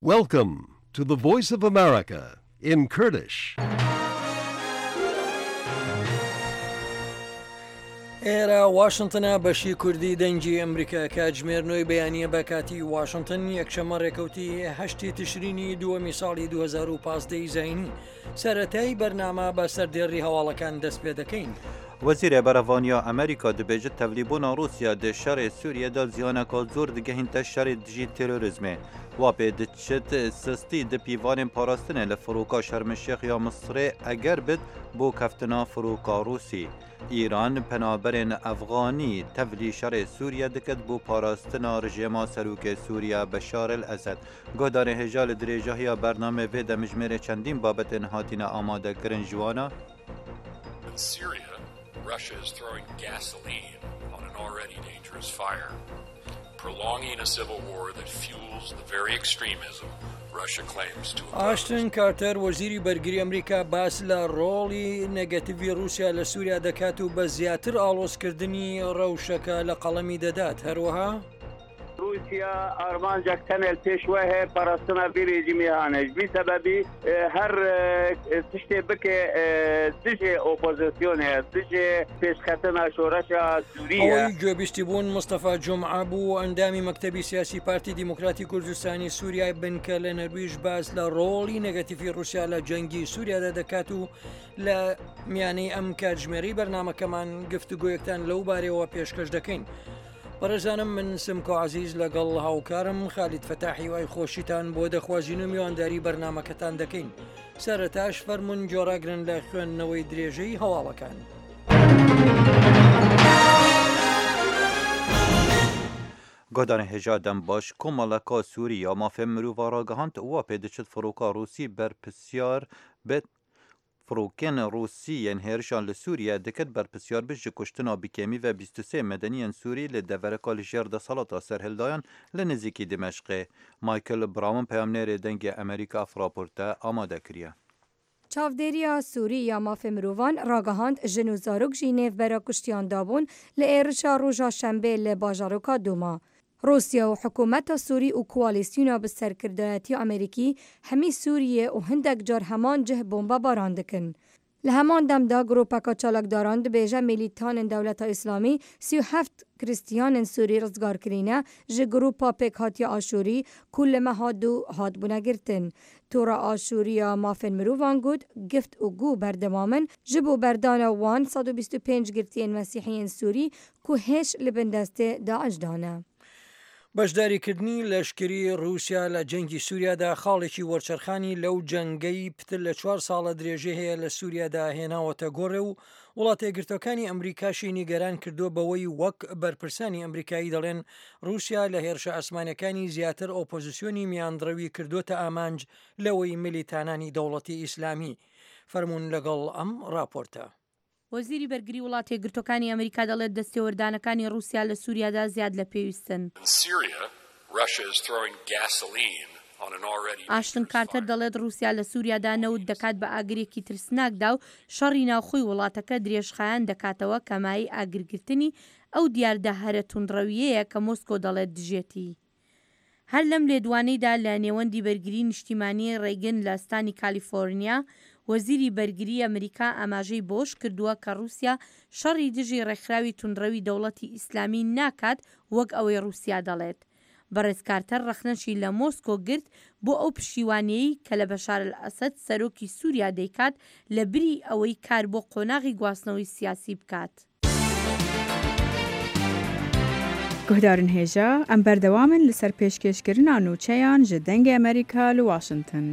Welcome to the Voice of America in Kurdish. ئێرە واشنتنە بەشی کوردی دەنگی ئەمریکا کاتژمێر نۆی بەیانیە بە کاتی واشنتن یەکشەمە ڕێکەوتی هەشتی تشرینی دووەمی ساڵی 2015 زینی سەرەتای بەرنامە بە سەردێڕی هەواڵەکان دەست پێ دەکەین. وەزیرێ بەرەڤانیا ئەمریکا دبێژت تەڤلیبونا ڕوسیا دێ شەرێ سوریە دا زیانەکا زۆر دگەهینتە شەرێ دژی تێرۆریزمێ. وا پێ دچت سستی د پیڤانێن پاراستنێ لە فڕوکا شەرمشێخ یا مسرێ ئەگەر بت بۆ کەفتنا فڕوکا ڕوسی. ئیران پەنابەرێن ئەفغانی تەڤلی شەرێ سوریە دکت بۆ پاراستنا رژێما سەروکێ سوریە بەشار ئەسەد. Guhdarên hêja li dirêjahiya bernameyê vê demijmêrê çendîn babetên hatine amadekirin ji wan e. In Syria, Russia is throwing gasoline on an already dangerous fire, prolonging a civil war that fuels the very extremism Russia claims to oppose. ئاشتن کارتەر وەزیری بەرگری ئەمریکا باس لە ڕۆڵی نێگەتیڤی ڕووسیا لە سووریا دەکات و بە زیاتر ئاڵۆزکردنی ڕەوشەکە لە قەڵەمی دەدات، هەروەها. ڕووسیا ئارمانجەک تەنێ li pêş we heye parastina vî rejîmê hane. Ji vî sebebî her tiştê bike dijê opozisyonê ye, dijê pêşketina şoreşa Sûrî ye. ئەوەی گوێبیستی بوون مستەفا جومعە بوو، ئەندامی مەکتەبی سیاسی پارتی دیموکراتی کوردستانی سووریای بنکە لە نەرویژ باس لە ڕۆڵی نێگەتیڤی ڕووسیا لە جەنگی سووریادا دەکات و لە میانەی ئەم کاتژمێرەی بەرنامەکەمان گفتوگۆیەکتان لەو بارەیەوە پێشکەش دەکەین. بەڕێزانم من سمکۆ عەزیز لەگەڵ هاوکارم خالید فەتاح هیوای خۆشیتان بۆ دەخوازین و میوانداری بەرنامەکەتان دەکەین سەرەتاش فەرمونون گۆڕاگرن لە خوێندنەوەی درێژەی هەواڵەکان. Guhdarên hêja dem baş Komeleka Sûrî ya mafên mirova ragihand wa pê diçit firoka Rûsî berpirsyar bi Firokên Rûsî yên hêrişan li Sûriye diket berpirsyar bi ji kuştina bi kêmî ve 23 medeniyên Sûrî li devereka li jêr desthilata serhildayan li nêzîkî Dimeşqê. Michael Brown peyamnêrê Dengê Amerîka ev raporte amade kiriye. Çavdêriya Sûrî ya Mafê Mirovan ragihand jin û zarok jî nêvbera kuştiyan dabûn li êrişa roja şembê li bajaroka Dûma. Rûsya û hikûmeta Sûrî û koalîsyona bi serkirdayetiya Amerîkî hemî Sûriyê û hindek car heman cih bombebaran dikin. Li heman dem de grûpeka çalakdaran dibêje mîlîtanên Dewleta Îslamî 37 krîstiyanên Sûrî rizgar kirîne ji grûpa pêkhatiya Aşûrî ku li meha du hatibûne girtin. Tora Aşûrî ya Mafên Mirovan got, gift û gû berdewam in ji bo berdana wan 125 girtiyên mesîhiyên Sûrî ku hêj li bin destê DAIŞ de ne. بەشداریکردنی لەشکری ڕووسیا لە جەنگی سووریادا خاڵێکی وەرچەرخانی لەو جەنگەی پتر لە چوار ساڵە درێژەی هەیە لە سووریادا هێناوەتە گۆڕێ و وڵاتە یەکگرتووەکانی ئەمریکاشی نیگەران کردووە بەوەی وەک بەرپرسانی ئەمریکایی دەڵێن ڕووسیا لە هێرشە ئاسمانیەکانی زیاتر ئۆپۆزیسیۆنی میانڕەوی کردووەتە ئامانج لەوەی ملیتانانی دەوڵەتی ئیسلامی فەرموون لەگەڵ ئەم ڕاپۆرتە. وەزیری بەرگری وڵاتەیەکگرتووەکانی ئەمریکا دەڵێت دەستێوەردانەکانی ڕووسیا لە سووریادا زیاد لە پێویستن. ئاشتن کارتەر دەڵێت ڕووسیا لە سووریادا نەوت دەکات بە ئاگرێکی ترسناکدا و شەڕی ناوخۆی وڵاتەکە درێژخایەن دەکاتەوە کە مایەی ئاگرگرتنی ئەو دیاردە هەرە توندڕەوییەیە کە مۆسکۆ دەڵێت دژێتی. هەر لەم لێدوانەیدا لە نێوەندی بەرگری نیشتیمانیی ڕەیگن لە ستانی کالیفۆرنیا، وەزیری بەرگریی ئەمریکا ئاماژەی بەوەش کردووە کە ڕووسیا شەڕی دژی ڕێکخراوی توندڕەوی دەوڵەتی ئیسلامی ناکات وەک ئەوەی ڕووسیا دەڵێت. بەڕێز کارتەر ڕەخنەشی لە مۆسکۆ گرت بۆ ئەو پشتیوانییەی کە لە بەشار ئەلئەسەد سەرۆکی سووریا دەیکات لە بری ئەوەی کار بۆ قۆناغی گواستنەوەی سیاسی بکات. Guhdarên hêja, em berdewam in li ser pêşkêşkirina nûçeyan ji Dengê Amerîka li Washington.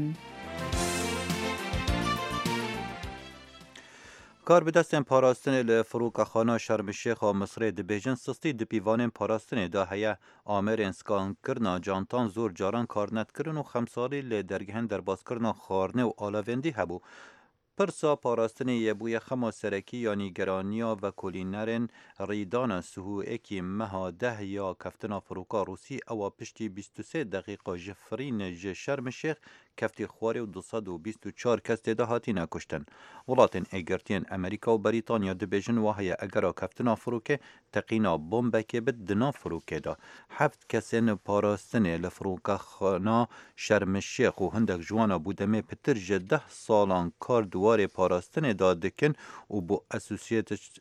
Karbidestên parastinê li Firokexana Şerm-el-Şêx a Misrê dibêjin sistî di pîvanên parastinê de heye. Amerên skankirina cantan zor caran kar nedikirin û xemsarî li dergehên derbaskirina xwarinê û alavên dî hebû. Pirsa parastinê yê bûye xema serekî ya nîgeraniya vekolînerên rîdana sihûekî meha deh ya keftina firoka Rûsî ewa piştî 23 deqîqa ji firîn ji Şerm-el-Şêx keftî xwarê û 224 kes tê de hatine kuştin. Welatên Êgirtiyên Amerîka û Berîtanya dibêjin wa heye egera keftina firokê teqîna bombekê bit di nav firokê de. Heft kesên parastinê li firokexana Şerm-el-Şêx û hindek ji wan a bo demê pitir ji deh salan kar di warê parastinê de dikin û bo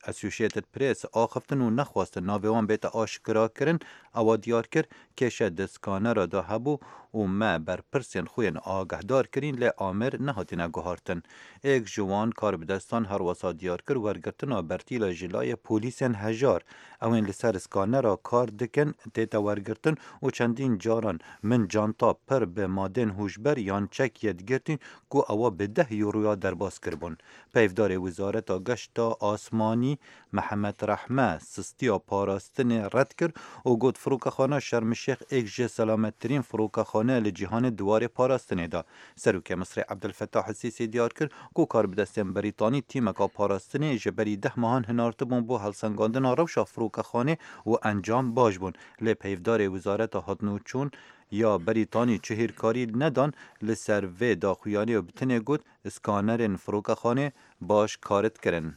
Associated Press axiftin û nexwestin navê wan bête aşkirakirin, ewa diyar kir, Kêşe di skanera de hebû û me berpirsên xwe yên agahdar kirîn lê amir nehatine guhartin. Êk ji wan karbidestan her wisa diyar kir wergirtina bertîla ji layê polîsên hejar ew ên li ser skanera kar dikin tête wergirtin û çendîn caran min canta pir bi madên hûşber yan çek yê digirtîn ku ewa bi deh euroya derbas kiribûn. Peyvdarê Wizareta Geşta Asmanî Mihemed Rehme sistiya parastinê red kir û got Firokexana Şerm-el-Şêx êk ji selamettirîn firokexane li cîhanê di warê parastinê de. Serokê Misrê Ebdulfetah El-Sîsî diyar kir ku karbidestên Brîtanî tîmeka parastinê ji berî deh mehan hinartibûn bo helsengandina rewşa firokexanê û encam baş bûn lê peyvdarê Wizareta Hatinûçûn ya Brîtanî çi hîrkarî nedan li ser vê daxuyaniyê û bi tenê got Skanerên firokexanê baş karit kirin.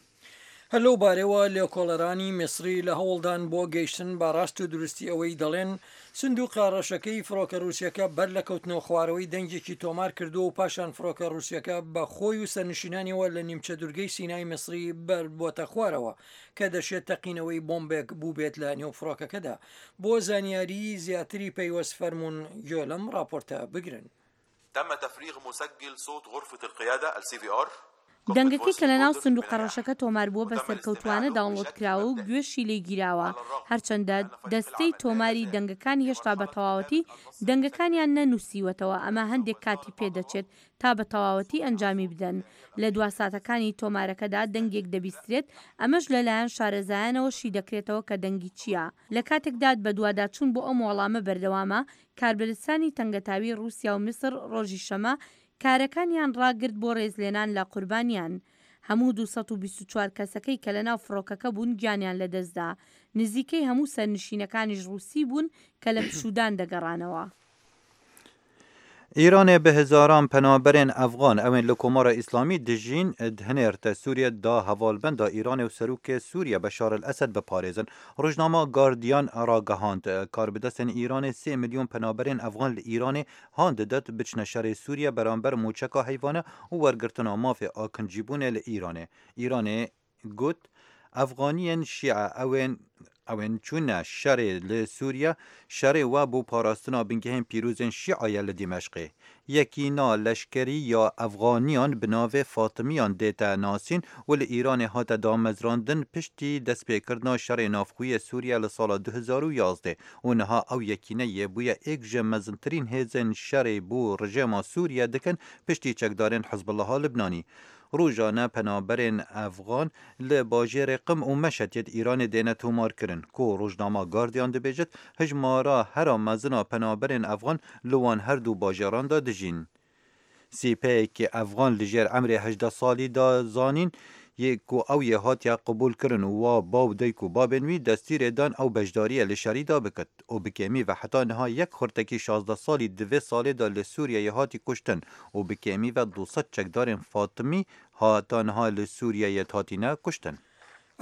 هەر لەو بارەوە لێکۆڵەرانی میسری لە هەوڵدان بۆ گەیشتن بە ڕاست و دروستی ئەوەی دەڵێن سندوقە ڕەشەکەی فڕۆکە ڕووسیەکە بەر لە کەوتنەوە خوارەوەی دەنگێکی تۆمار کردووە و پاشان فڕۆکە ڕووسیەکە بە خۆی و سەرنشینانیەوە لە نیمچە دورگەی سینای میسری بەربۆتە خوارەوە کە دەشێت تەقینەوەی بۆمبێک بووبێت لە نێو فڕۆکەکەدا. بۆ زانیاریی زیاتری پەیوەست فەرموون گوێ لەم ڕاپۆرتە بگرن. تم تفریغ مسجل صوت غرفە القیادە الCVR دەنگەکەی کە لەناو سندوقە ڕەشەکە تۆمار بووە بە سەرکەوتووانە داونڵۆد کراوە و گوێشی لێ گیراوە، هەرچەندە دەستەی تۆماری دەنگەکان هێشتا بە تەواوەتی دەنگەکانیان نەنووسیوەتەوە، ئەمە هەندێک کاتی پێ دەچێت تا بە تەواوەتی ئەنجامی بدەن. لە دوا ساتەکانی تۆمارەکەدا دەنگێک دەبیسترێت، ئەمەش لەلایەن شارەزایانەوە شی دەکرێتەوە کە دەنگی چییە. لە کاتێکدا بەدواداچوون بۆ ئەم وەڵامە بەردەوامە، کاربەدەستانی تەنگەتاوی ڕووسیا و میسر ڕۆژی شەمە کارەکانیان ڕاگرت بۆ ڕێزلێنان لە قوربانیان. هەموو 224 کەسەکەی کە لەناو فڕۆکەکە بوون گیانیان لەدەستدا. نزیکەی هەموو سەرنشینەکانیش ڕووسی بوون کە لە پشوودان دەگەڕانەوە. ئیرانێ bi hezaran penaberên Efxan ewên li Komara Îslamî dijîn dihinêrte Sûriye da hevalbenda Îranê û Serokê Sûriye Beşar El Esed biparêzin. Rojnama Guardian ragihand, karbidestên Îranê sê milyon penaberên Efxan li Îranê han didet biçine şerê Sûriye beramber mûçeka heyvane û wergirtina mafê akincîbûnê li Îranê. Îranê got, Efxaniyên Şîe ewên ewên çûne şerê li Sûriye, şerê we bo parastina bingehên pîrozên Şîa ye li Dîmeşqê. Yekîna leşkerî ya Efxaniyan bi navê Fatimiyan dête nasîn û li Îranê hate damezrandin piştî destpêkirina şerê navxweyê Sûriye li sala 2011 û niha ew yekîne yê bûye yek ji mezintirîn hêzên şerê bo rijêma Sûriye dikin piştî çekdarên Hizbullaha Libnanî. Rojane penaberên Efxan li bajêrê Qim û Meşhed yê Îranê dêne tomarkirin ku rojnama Guardian dibêjit hejmara hera mezin a penaberên Efxan li wan her du bajêran de dijîn. Sîpeyekî Efxan li jêr emrê 18 salî da zanîn yê ku ew yê hatiye qebûlkirin û wa baw dayk û babên wî destîrê dan ew beşdariyê li şerî da bikit û bi kêmî ve heta niha yek xurtekî 16 salî di vê salê de li Sûriyeyê hatî kuştin û bi kêmî ve 200 çekdarên Fatimî hata niha li Sûriyeyê hatine kuştin.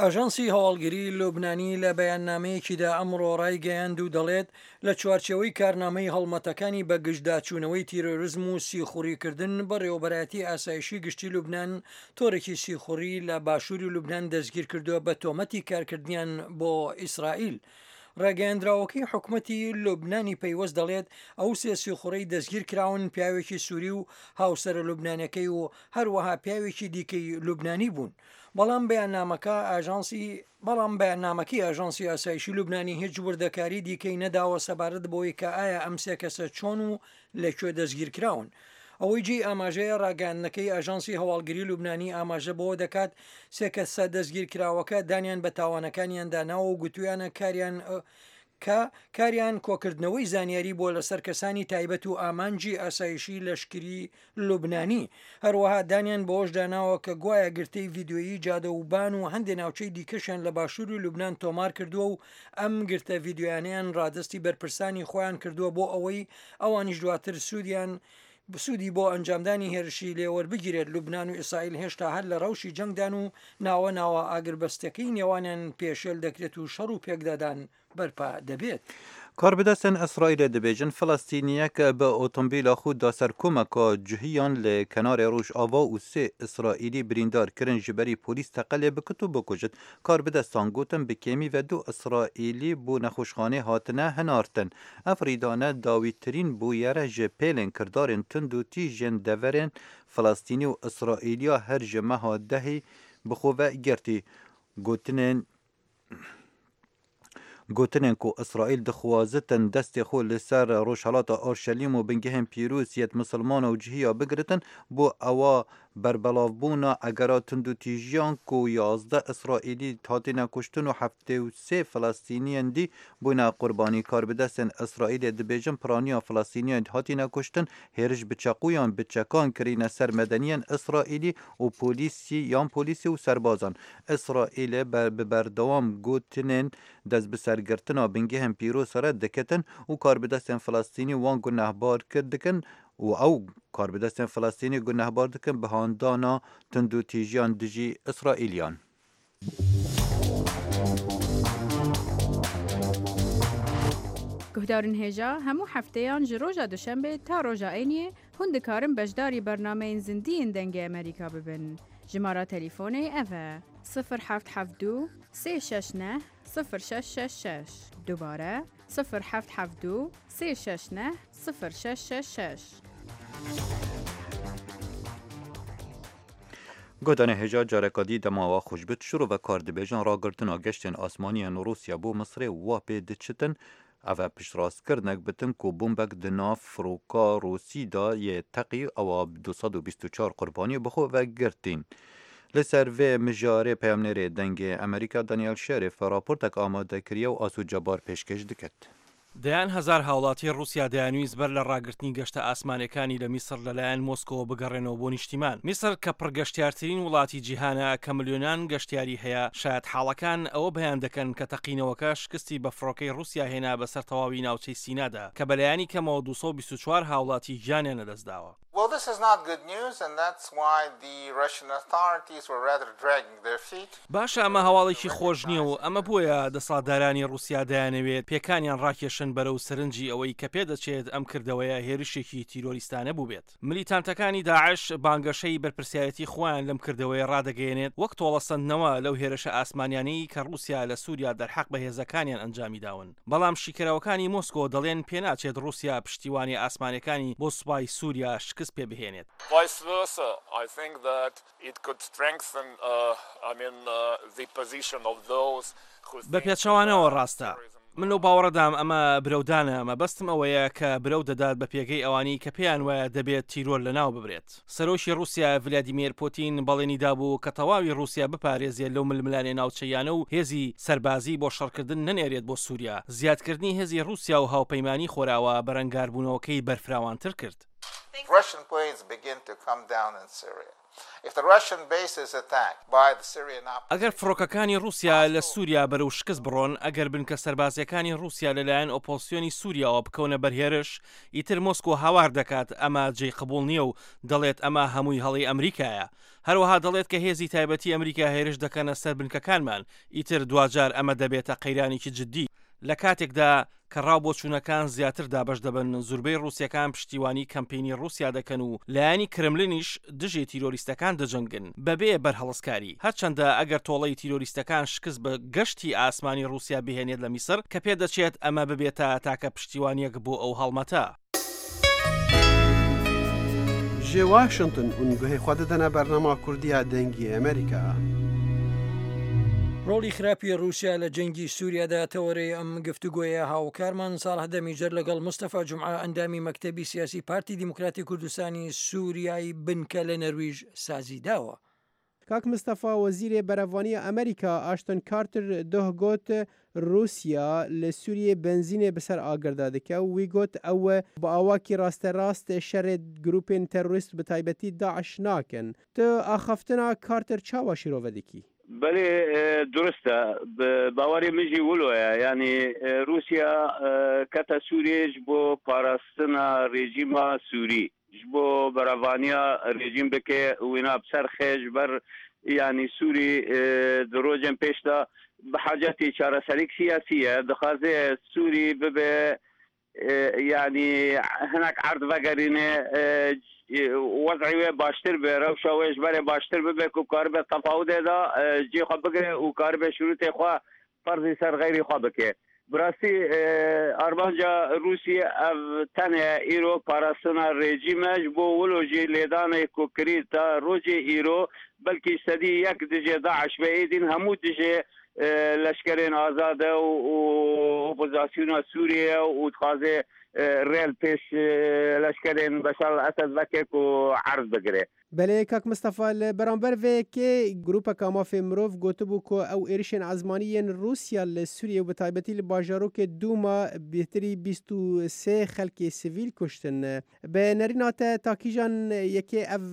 ئاژانسی هەواڵگری لوبنانی لە بەیاننامەیەکیدا ئەمڕۆ ڕایگەیاند و دەڵێت لە چوارچێوەی کارنامەی هەڵمەتەکانی بەگژداچوونەوەی تیرۆرزم و سیخوڕیکردن بەڕێوەبەرایەتی ئاسایشی گشتی لوبنان تۆڕێکی سیخوڕی لە باشووری لوبنان دەستگیرکردووە بە تۆمەتی کارکردنیان بۆ ئیسرائیل. ڕاگەیەندراوەکەی حکومەتی لوبنانی پەیوەست دەڵێت ئەو سێ سیخوڕەی دەستگیرکراون پیاوێکی سووری و هاوسەرە لوبنانەکەی و هەروەها پیاوێکی دیکەی لوبنانی بوون. بەڵام بەیاننامەکە ئاژانسی بەڵام بەیاننامەکەی ئاژانسی ئاسایشی لوبنانی هیچ وردەکاری دیکەی نەداوە سەبارەت بەوەی کە ئایا ئەم سێ کەسە چۆن و لە کوێ دەستگیرکراون. ئەوەی جێی ئاماژەیە ڕاگەیاندنەکەی ئاژانسی هەواڵگری لوبنانی ئاماژە بەوە دەکات سێ کەسە دەستگیرکراوەکە دانیان بە تاوانەکانیاندا ناوە و گوتویانە کاریان. کە کاریان کۆکردنەوەی زانیاری بووە لەسەر کەسانی تایبەت و ئامانجی ئاسایشی لەشکری لوبنانی. هەروەها دانیان بەوەشدا ناوە کە گوایە گرتەی ڤیدیۆیی جادە وبان و هەندێ ناوچەی دیکەشیان لە باشووری لوبنان تۆمار کردووە و ئەم گرتە ڤیدیۆیانەیان ڕادەستی بەرپرسانی خۆیان کردووە بۆ ئەوەی ئەوانیش دواتر سوودیان سوودی بۆ ئەنجامدانی هێرشی لێ وەربگیرێت. لوبنان و ئیسرائیل هێشتا هەر لە ڕەوشی جەنگدان و ناوە ناوە ئاگربەستەکەی نێوانیان پێشێل دەکرێت و شەڕ و پێکدادان بەرپا دەبێت. کاربەدەستێن ئیسرائیلê dibêjin Filistîniyek bi otomobîla xwe da ser komeka cuhiyan li kenarê Rojava û sê Îsraîlî birîndar kirin ji berî polîs teqe lê bikit û bikujit. Karbidestan gotin bi kêmî ve du Îsraîlî bo nexweşxanê hatine hinartin. Ev rîdane dawîtirîn bûyere ji pêlên kirdarên tund û tîj yên deverên Filistînî û Îsraîliya her ji meha dehî bi xwe ve girtî. Gotinên Gotinên ku Îsraîl dixwazitin destê xwe li ser rojhilata Orşelîm û bingehên pîroz yêt misilmana û cihîya bigiritin, bo ewa berbelavbûna egera tundûtîjiyan ku 11 Îsraîlî hatine kuştin û 73 Filistîniyên dî bûne qurbanî. Karbidestên Îsraîlê dibêjin piraniya Filistîniyên hatine kuştin hêriş bi çeqûyan bi çekan kirîne ser medeniyên Îsraîlî û polîsî yan polîsî û serbazan. Îsraîlê bi berdewam gotinên destbisergirtina bingehên pîroz red diketin û karbidestên Filistînî wan gunehbar kir dikin û ew karbidestên Filistînî gunehbar dikin bi handana tundûtîjiyan dijî Îsraîliyan. Guhdarên hêja hemû hefteyan ji roja duşembê ta roja îniyê hûn dikarin beşdarî bernameyên zindî yên Dengê Amerîka bibin. Jimara telîfonê ev e, 0 7 7 2 3 6 9 0666. Dubare 0 7 7 2 3 6 9 0666. Guhdarên hêja careka dî dema we xweş bit şirovekar dibêjin ragirtina geştên asmaniyên Rûsya bo Misrê wa pê diçitin ev e piştrastkirinek bitin ku bombek di nav firoka Rûsî de yê teqî ewa 224 qurbanî bi xwe ve girtîn. Li ser vê mijarê peyamnêrê Dengê Amerîka Daniel Şerif raportek amade kiriye û Aso Cebar pêşkêş diket. دەیان هەزار هاوڵاتی ڕووسیا دەیانویست بەر لە ڕاگرتنی گەشتە ئاسمانەکانی لە میسر لەلایەن مۆسکۆوە بگەڕێنەوە بۆ نیشتیمان. میسر کە پڕگەشتیارترین وڵاتی جیهانە کە ملیۆنان گەشتیاری هەیە، شایەتحاڵەکان ئەوە بەیان دەکەن کە تەقینەوەکە شکستی بە فڕۆکەی ڕووسیا هێنا بەسەر تەواوی ناوچەی سینادا کە بەلایەنی کەمەوە 224 هاوڵاتی گیانیان لەدەستداوە. Well, this is not good news, and that's why the Russian authorities were rather dragging their feet. باشە ئەمە هەواڵێکی خۆش نییە و ئەمە بۆیە دەسەڵاتدارانی ڕووسیا دەیانەوێت پێکانیان ڕاکێشن بەرەو سەرنجی ئەوەی کە پێدەچێت ئەم کردەوەیە هێرشێکی تیرۆریستانە بووبێت. ملیتانتەکانی داعش بانگەشەی بەرپرسیارێتی خۆیان لەم کردەوەیە ڕادەگەیەنێت وەک تۆڵەسەندنەوە لەو هێرشە ئاسمانیانەی کە ڕووسیا لە سووریا دەرحەق بە هێزەکانیان ئەنجامی داون. بەڵام شیکەرەوەکانی مۆسکۆ دەڵێن پێناچێت ڕووسیا پشتیوانی ئاسمانەکانی بۆ سوپای سووریا شکست پێ بهێنێت. Vice versa, I think that it could strengthen, I mean, the position of those who بە پێچەوانەوە ڕاستە. من لەو باوەڕەدام ئەمە برەودانە، مەبەستم ئەوەیە کە برەو دەدات بە پێگەی ئەوانەی کە پێیان وایە دەبێت تیرۆر لەناو ببرێت. سەرۆکی ڕووسیا ڤلادیمێر پوتین بەڵێنی دابوو کە تەواوی ڕووسیا بپارێزێت لەو ململانێ ناوچەییانە و هێزی سەربازی بۆ شەڕکردن نەنێرێت بۆ سووریا. زیادکردنی هێزی ڕووسیا و هاوپەیمانانی خۆراوا بەرەنگاربوونەوەکەی بەرفراوانتر کرد. Russian planes begin to come down in Syria. If the Russian base is attacked by the Syrian ئەگەر فڕۆکەکانی ڕووسیا لە سووریا بەرەو شکست بڕۆن، ئەگەر بنکە سەربازیەکانی ڕووسیا لەلایەن ئۆپۆزسیۆنی سووریاوە بکەونە بەر هێرش، ئیتر مۆسکۆ هاوار دەکات ئەمە جێی قبوڵ نییە و دەڵێت ئەمە هەمووی هەڵەی ئەمریکایە. هەروەها دەڵێت کە هێزی تایبەتی ئەمریکا هێرش دەکەنە سەر بنکەکانمان، ئیتر دواجار ئەمە دەبێتە قەیرانێکی جددی. لە کاتێکدا کە ڕاو بۆچوونەکان زیاتر دابەش دەبن، زوربەی ڕووسیەکان پشتیوانی کەمپینی ڕووسیا دەکەن و لایەنی کرملینیش دژی تیرۆریستەکان دەجەنگن بەبێ بەرهەڵستکاری. هەرچەندە ئەگەر تۆڵەی تیرۆریستەکان شکست بە گەشتی ئاسمانی ڕووسیا بهێنێت لە میسر، کە پێدەچێت ئەمە ببێتە تاکە پشتیوانیەک بۆ ئەو هەڵمەتە. Ji Washington hûn guhê xwe didine bernama Kurdî ya Dengê Amerîka. ڕۆڵی خراپی ڕووسیا لە جەنگی سووریادا تەوەرەی ئەم گفتوگۆیە هاوکارمان ساڵح دەمیجەر لەگەڵ مستەفا جومعە ئەندامی مەکتەبی سیاسی پارتی دیموکراتی کوردستانی سووریای بنکە لە نەرویژ سازی داوە. کاک مستەفا وەزیرێ بەرەڤانییا ئەمریکا ئاشتن کارتر دۆه گۆت ڕووسیا لە سووریێ بەنزینێ بسەر ئاگردا دکە و وی گۆت ئەو بە ئاواکی ڕاستەراست شەرێ گرووپێن تەرۆریست بە تایبەتی داعش ناکەن. تو ئاخافتنا کارتر چاوا شیرۆڤە دکی؟ بەلێ دروستە باوەری من ژی ولۆیە یانی روسیا کەتە سوریێ ژ بۆ پاراستنا رێژیما سوری ژ بۆ بەرەڤانیا رێژیم بکێ وینا بسەرخێ ژ بەر یانی سوری د رۆژێن پێشدا بە حاجەتی چارەسەریک سیاسیە دخوازێ سوری ببێ یانی هەنەک عەرد ڤەگەرینێ وەزعی وێ باشتر بێ، رەوشا وێ ژ بەرێ باشتر ببێ کو کاربێ تەفاودێ دا جێ خwe بگرێ و کاربێ شروتێ خwe فەرزی سەر غەیری خwe بکێ. براستی ئارمانجا رووسی ئەڤ تەنێ ئیرۆ پاراستنا رێجیمە ژ بۆ ولۆ ژی لێدانێ کو کری تا رۆجێ ئیرۆ بەلکی سەدی یەک دژێ داعش بێ ئێدین هەموو دژێ لەشکەرێن ئازادە و ئۆپۆزاسیۆنا سووریە و دخوازێ ڕێ ل پێش لەشکەرێن بەشار ئەسەد ڤەکێ کو عەرز بگرێ. بەلێ کاک مستەفا لە بەرامبەر ڤێ یەکێ گروپەکا مافێ مرۆڤ گۆتبوو کو ئەو ئێرشێن ئەزمانی یێن ڕووسیا لە سووریە و بە تایبەتی لە باژارۆکێ دوما بێتری 23 خەلکێ سڤیل کوشتن. بە نەرینا te تا کیژان یەکێ ئەڤ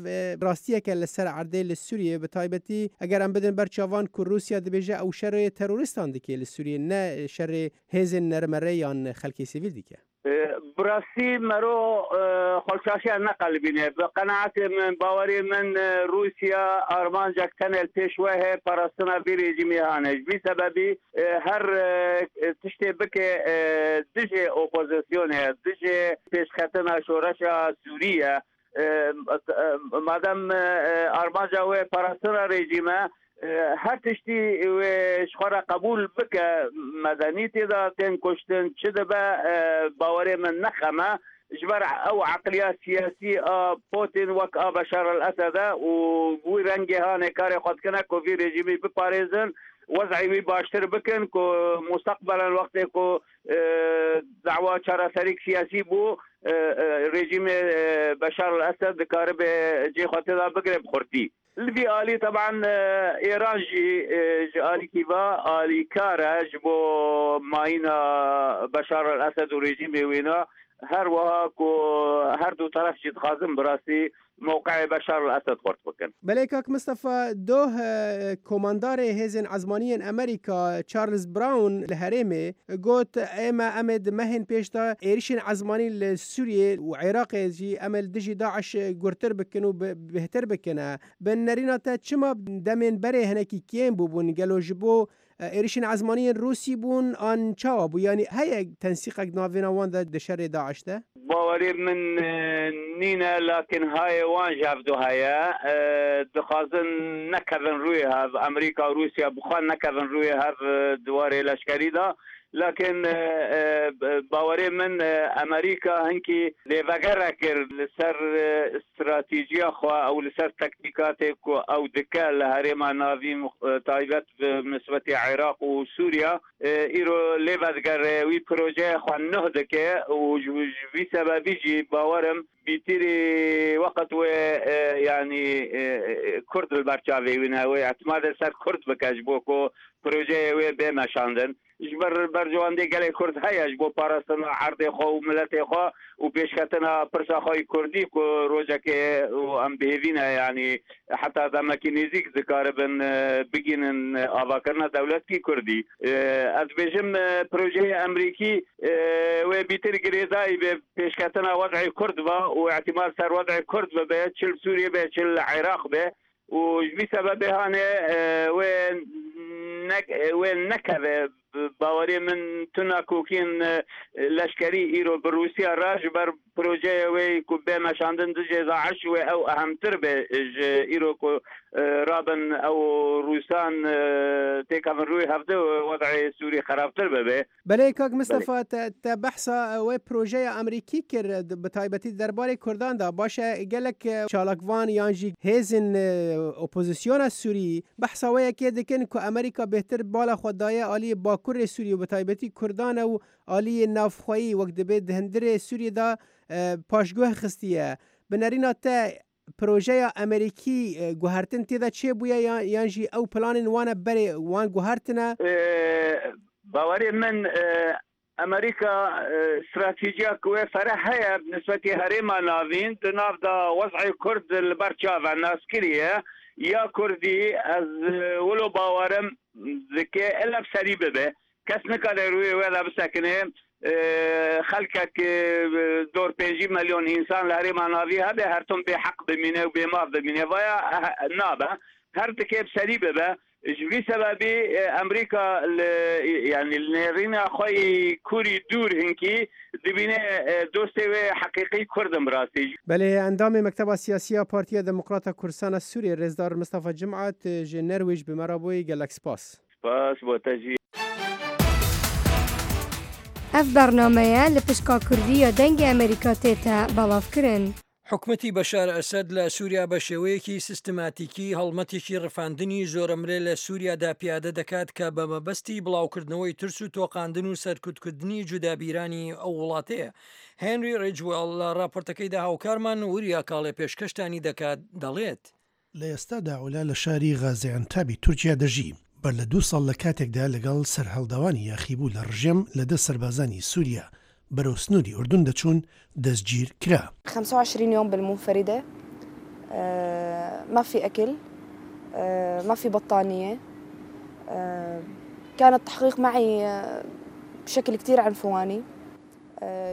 ڕاستیەکە لە سەر عەردێ لە سووریە بە تایبەتی ئەگەر ئەم بدن بەر چاڤان کو ڕووسیا دبێژە ئەو شەرێ تەرۆریستان دکێ لە سووریە نە شەرێ هێزێن نەرمەرێ یان خەلکێ سڤیل دیکە. براستی مەرۆ خۆلچاشیان نەقەلبینێ بە قەناعەتێ من باوەری من رووسیا ئارمانجەک تەنێ ل پێش وێ هەیە پاراستنا ڤی رێژیمی هانێ ژ ڤی سەبەبی هەر تشتێ بکێ دژێ ئۆپۆزیسیۆنێ دژێ پێشکەتنا شۆرەشا سووریە مادەم ئارمانجا وێ پاراستنا رێژیمە هەر تشتی وێ ژ خwe re قەبوول بکە مەدەنی تێدا تێن کوشتن چ دبە باوەرێ من نە خەمە ژ بەر ئەو عەقلیا سیاسی ئا پۆتین وەک ئا بەشار ئەلئەسەدە و وی رەنگێ هانێ کارێ خwe دکەنە کو ڤی رێژیمی بپارێزن وەزعی وی باشتر بکن کو موستەقبەلەن وەختێ کو دەعوا چارەسەریک سیاسی بوو رێژیمێ بەشار ئەلئەسەد دکاربێ جێ خwe تێدا بگرێ بخورتی. لڤی ئالی تەبعەن ئێران ژی ژ ئالیکی ڤا ئالیکارە ژ بۆ ماینا بەشار ئەلئەسەد و رێژیمێ وێنا هەر وەها کو هەر دوو تەرەف ژی دخوازن براستی مەوقعێ بەشار ئەلئەسەد خورت بکن. بەلێ کاک مستەفا دۆه کۆماندارێ هێزێن ئەزمانیێن ئەمریکا چارلز براون لە هەرێمێ گۆت ئێمە ئەمێ د مەهێن پێشدا ئێریشێن ئەزمانی لە سوریێ و عێراقێ ژی ئەمێ li dijî داعش gurtir bikin û bêhtir bikin. Bi nerîna te çima demên berê hinekî kêm bûbûn? Gelo ji bo êrişên ezmanî yên Rûsî bûn an çawa bû? Yanî heye tensîqek di navbêna wan de di şerê DAIŞ de? Bawerî min nîne lakin hayê wan ji hev du heye. Dixwazin nekevin rûyê hev. Amerîka û Rûsya bi xwe nekevin rûyê hev di warê leşkerî de. Lakin bawerê min Amerîka hinkî lêvegere kir li ser stratîjiya xwe ew li ser tektîkatê ku ew dike li herêma navîn taybet bi nisbetî Iraq û Sûriya îro lê vedigere wî projeya xwe nuh dike û ji vî sebebî jî bawerim bîtirî weqet wê yanî Kurd li ber çavê wî ne wê îtimadê li ser Kurd bike ji bo ku projeyê wê bê meşandin. Ji ber berjewendiyê gelê Kurd heye ji bo parastina erdê xwe û miletê xwe û pêşketina pirsa xwe yê Kurdî ku rojekê û em bi hêvî ne yanî heta demekî nêzîk dikaribin bigihînin avakirina dewletkî Kurdî. Ez dibêjim projeyê Emrîkî wê bîtir girêdayî bê pêşketina wez'ê Kurd ve û îhtîmal ser wez'ê Kurd bibe çi li Sûriyê be çi li Iraq be û ji vî sebebê hanê wê wê nekeve baweriyê min tu nakokiyên leşkerî îro bi Rûsya re ji ber projeyê wê ku bê meşandin dijê DAIŞ wê ew ehemtir bê ji îro ku rabin ew Rûsan têkevin rûyê hevdu wez'ê Sûrî xerabtir bibe. Belê kak Mistefa te te behsa wê projeya Amerîkî kir bi taybetî di derbarê Kurdan de baş e gelek çalakvan yan jî hêzên opozisyona Sûrî behsa wê yekê dikin ku Amerîka bêhtir bala xwe daye aliyê bakurê Sûrî û bi taybetî Kurdan e û aliyê navxweyî wek dibê di hundirê Sûriyê de paşguh xistiye. Bi nerîna te. پرۆژەیا ئەمریکی گوهەرتن تێدا چێ بوویە یان ژی ئەو پلانên وانە بەرێ وان گوهەرتنە؟ باوەرێ من ئەمریکا ستراتیجیا ک وێ فەرە هەیە بنسبەتی هەرێما ناڤین د ناڤ دا وەزعێ کورد ل بەر چاڤە ناسکریە یا کوردی ئەز ولو باوەرم دکێ ئلە بسەری ببێ کەس نکارێ روێ وێ دا بسەکنێ خەلکەک دۆر پێنجی مەلیۆن ئینسان لە هەرێما ناڤی هەبێ هەرتم بێ حەق بمینێ و بێ ماف بمینێ ڤایا نابە هەر دکێ بسەری ببە Ji vî sebebî Amerîka li yanî li nêrîna xwe yî kûrî dûr hinkî dibîne dostê wê heqîqî Kurd in bi rastî. Belê endamê Mekteba Siyasî ya Partiya Demokrata Kurdistana Sûriyê Rêzdar Mistefa Cim'a tu ji Nerwêj bi me re bûyî gelek spas. Spas bo te jî. Ev bernameye li pişka kurdî ya Dengê Amerîka tête belavkirin. حکومەتی بەشار ئەسەد لە سووریا بە شێوەیەکی سیستماتیکی هەڵمەتێکی ڕفاندنی زۆرەملێ لە سووریادا پیادە دەکات کە بە مەبەستی بڵاوکردنەوەی ترس و تۆقاندن و سەرکوتکردنی جودابیرانی ئەو وڵاتەیە. هێنری ڕیجوێڵ لە ڕاپۆرتەکەیدا هاوکارمان وریا کاڵێ پێشکەشتانی دەکات دەڵێت. لە ئێستادا عولا لە شاری غازیعەنتابی تورکیا دەژی. بەر لە دوو ساڵ لە کاتێکدا لەگەڵ سەرهەڵداوانی یاخیبوو لە ڕژێم لە دەست سەربازانی سوریا بەرەو سنووری ئوردون دەچوون، دەستگیر کرا. 25 يوم بالمنفردة ما في أكل ما في بطانية كان التحقيق معي بشكل كتير عنفواني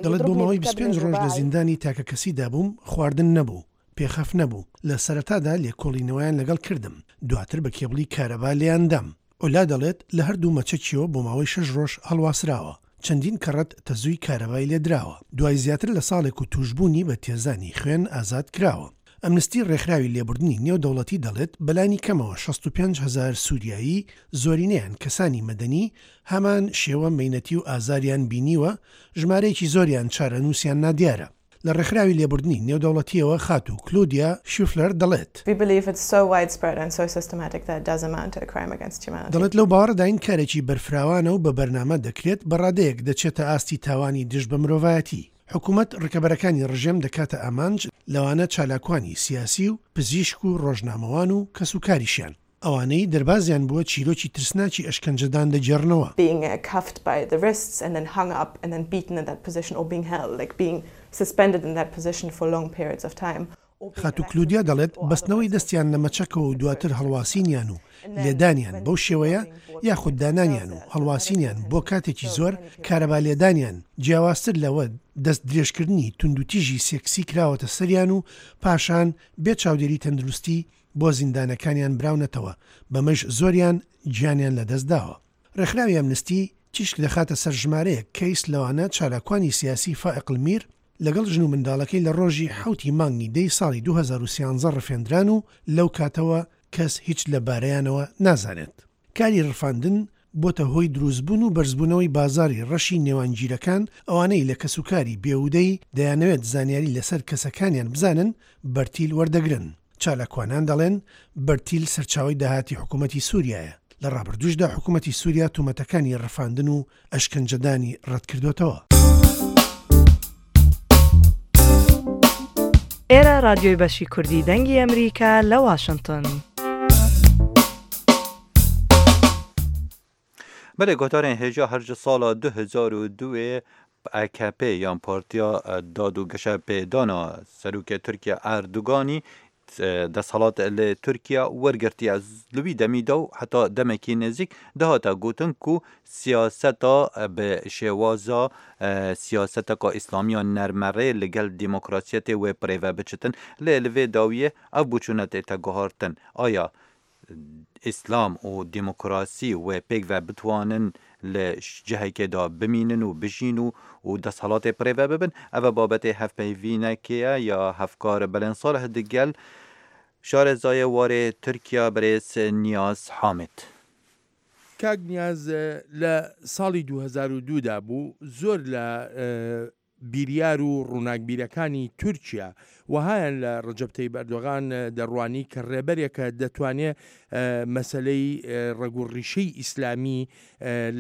دەڵێت بۆ ماوەی 25 ڕۆژ لە زیندانی تاکەکەسیدا بووم، خواردن نەبوو، پێخەف نەبوو، لە سەرەتادا لێکۆڵینەوەیان لەگەڵ کردم، دواتر بە کێبڵی کارەبا لێیان دام. عولا دەڵێت، لە هەردوو مەچەکیەوە بۆ ماوەی شەش ڕۆژ هەڵواسراوە، چەندین کەڕەت تەزووی کارەبای لێدراوە، دوای زیاتر لە ساڵێک و تووشبوونی بە تێزانی خوێن ئازاد کراوە. ئەمنستی ڕێکخراوی لێبوردنی نێودەوڵەتی دەڵێت، بەلانی کەمەوە 65 هەزار سووریایی، زۆرینەیان کەسانی مەدەنی، هەمان شێوە مەینەتی و ئازاریان بینیوە، ژمارەیەکی زۆریان چارەنووسیان نادیارە. لە ڕێکخراوی لێبوردنی نێودەوڵەتییەوە خاتوو کلودیا شیفلەر دەڵێت. دەڵێت لەو باوەڕەداین کارێکی بەرفراوانە و بە بەرنامە دەکرێت، بە ڕادەیەک دەچێتە ئاستی تاوانی دژ بە مرۆڤایەتی. حکومەت ڕکەبەرەکانی ڕژێم دەکاتە ئامانج، لەوانە چالاکوانی سیاسی و پزیشک و ڕۆژنامەوان و کەسوکاریشیان. ئەوانەی دەربازیان بووە چیرۆکی ترسناکی ئەشکەنجەدان دەگێڕنەوە. Being cuffed by the wrists and then hung up and then beaten in that position or being held like being suspended in that position for long periods of time or being خاتوو کلودیا دەڵێت، بەستنەوەی دەستیان لە مەچەکەوە و دواتر هەڵواسینیان و لێدانیان بەو شێوەیە یاخود دانانیان و هەڵواسینیان بۆ کاتێکی زۆر، کارەبا لێدانیان، جیاوازتر لەوە دەست درێژکردنی توندوتیژی سێکسی کراوەتە سەریان و پاشان بێ چاودێری تەندروستی بۆ زیندانەکانیان براونەتەوە، بەمەش زۆریان گیانیان لەدەستداوە. ڕێکخراوی ئەمنستی تیشک دەخاتە سەر ژمارەیەک کەیس لەوانە چالاکوانی سیاسی فائق المیر لەگەڵ ژن و منداڵەکەی لە ڕۆژی حەوت ی مانگی دەی ساڵی 2013 ڕفێندران و لەو کاتەوە کەس هیچ لە بارەیانەوە نازانێت. کاری ڕفاندن بۆتە هۆی دروستبوون و بەرزبوونەوەی بازاڕی ڕەشی نێوانگیرەکان، ئەوانەی لە کەسوکاری بێوودەی دەیانەوێت زانیاری لەسەر کەسەکانیان بزانن بەرتیل وەردەگرن. چالاکوانان دەڵێن بەرتیل سەرچاوەی داهاتی حکومەتی سوریایە، لە ڕابردووشدا حکومەتی سوریا تۆمەتەکانی ڕفاندن و ئەشکەنجەدانی ڕەتکردۆتەوە. ئێرە ڕادیۆی بەشی کوردی دەنگی ئەمریکا لە واشنتن. Belê gotarên hêja her ji sala 2002 ê AKP yan Partiya Dad û Geşepêdana Serokê Tirkiye Erdoganî desthilat li Tirkiye wergirtiye. Li wî demî de û heta demekî nêzîk dihate gotin ku siyaseta bi şêwaza siyaseteka îslamiya nermerê li gel demokrasiyetê wê birêve biçitin. Lê li vê dawiyê ev boçûne tête guhartin. Aya Îslam û demokrasî wê pêkve bitwanin li cihekê de bimînin û bijîn û û desthilatê birêve bibin? Ev e babetê hevpeyvînekê ye ya hevkar Belên Salih digel şarezayê warê Tirkiya birêz Niyaz Hamid. کاک نیاز لە ساڵی 2002 دا بوو زۆر لە بیریار و ڕووناکبیرەکانی تورکیا وەهایان لە ڕەجەب تەیب ئەردۆغان دەڕوانی کە ڕێبەرێکە دەتوانێ مەسەلەی ڕەگ و ڕیشەی ئیسلامی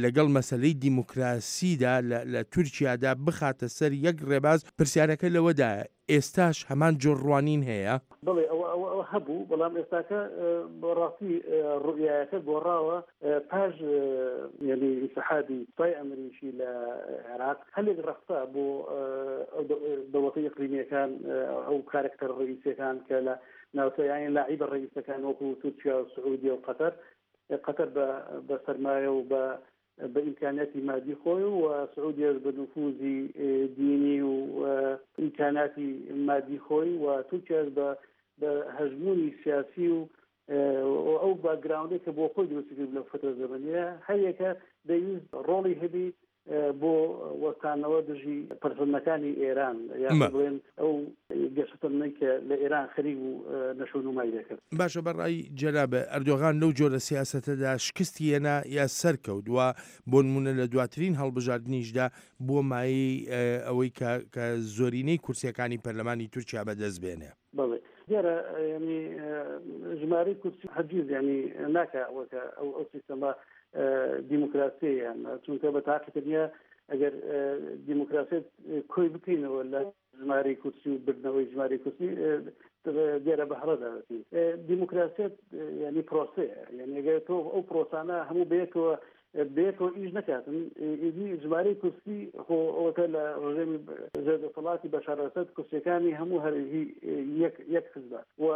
لەگەڵ مەسەلەی دیموکراسیدا لە تورکیادا بخاتە سەر یەک ڕێباز، پرسیارەکە لەوەدایە. ئێستاش هەمان جۆر ڕوانین هەیە؟ بەڵێ ئەوە ئەوە ئەوە هەبوو، بەڵام ئێستاکە بەڕاستی ڕوئیایەکە گۆڕاوە پاش یانی ئینسحابی سوپای ئەمریکی لە عێراق هەلێک ڕەخسا بۆ ئەو دەوڵەتە ئیقلیمییەکان ئەو کارەکتەرە ڕەئیسییەکان کە لە ناوچە یانی لاعیبە ڕەئیسەکان وەکوو تورکیا و سعودیە و قەتەر قەتەر بە بە سەرمایە و بە بە ئیمکانیاتی مادی خۆی و سعودیەش بە نفوزی دینی و ئیمکاناتی مادی خۆی و تورکیاش بە بە هەژموونی سیاسی و ئەو باکگراوندەی کە بۆ خۆی دروستی کرد لەو فترە زەمەنیە هەریەکە دەیویست ڕۆڵی هەبی بۆ وەستانەوە دژی پەرسەندنەکانی ئێران یاخود بڵێن ئەو گەشەسەندنەی کە لە ئێران خەریک بوو نەشونومای دەکرد. باشە بە ڕای جەنابت ئەردۆغان لەو جۆرە سیاسەتەدا شکستی هێنا یا سەرکەوت و بۆ نموونە لە دواترین هەڵبژاردنیشدا بووە مایەی ئەوەی کە کە زۆرینەی کورسیەکانی پەرلەمانی تورکیا بەدەست بێنێ؟ بەڵێ دیارە یانی ژمارەی کورسی هەرگیز یانی ناکا ئەوە کە ئەو ئەو سیستەمە دیموکراسیە یان چونکە بە تاقی تەنیا ئەگەر دیموکراسیەت کۆی بکەینەوە لە ژمارەی کورسی و بردنەوەی ژمارەی کورسی دیارە بە هەڵەدا دەچین دیموکراسیەت یعنی پرۆسەیە یعنی ئەگەر تۆ ئەو پرۆسانە هەموو بەیەکەوە بەیەکەوە ئیش نەکاتن ئیدی ژمارەی کورسی خۆ ئەوەتە لە ڕژێمی ژێر دەسەڵاتی بەشار ئەسەد کورسیەکانی هەموو هەر هی یەک یەک حزبە و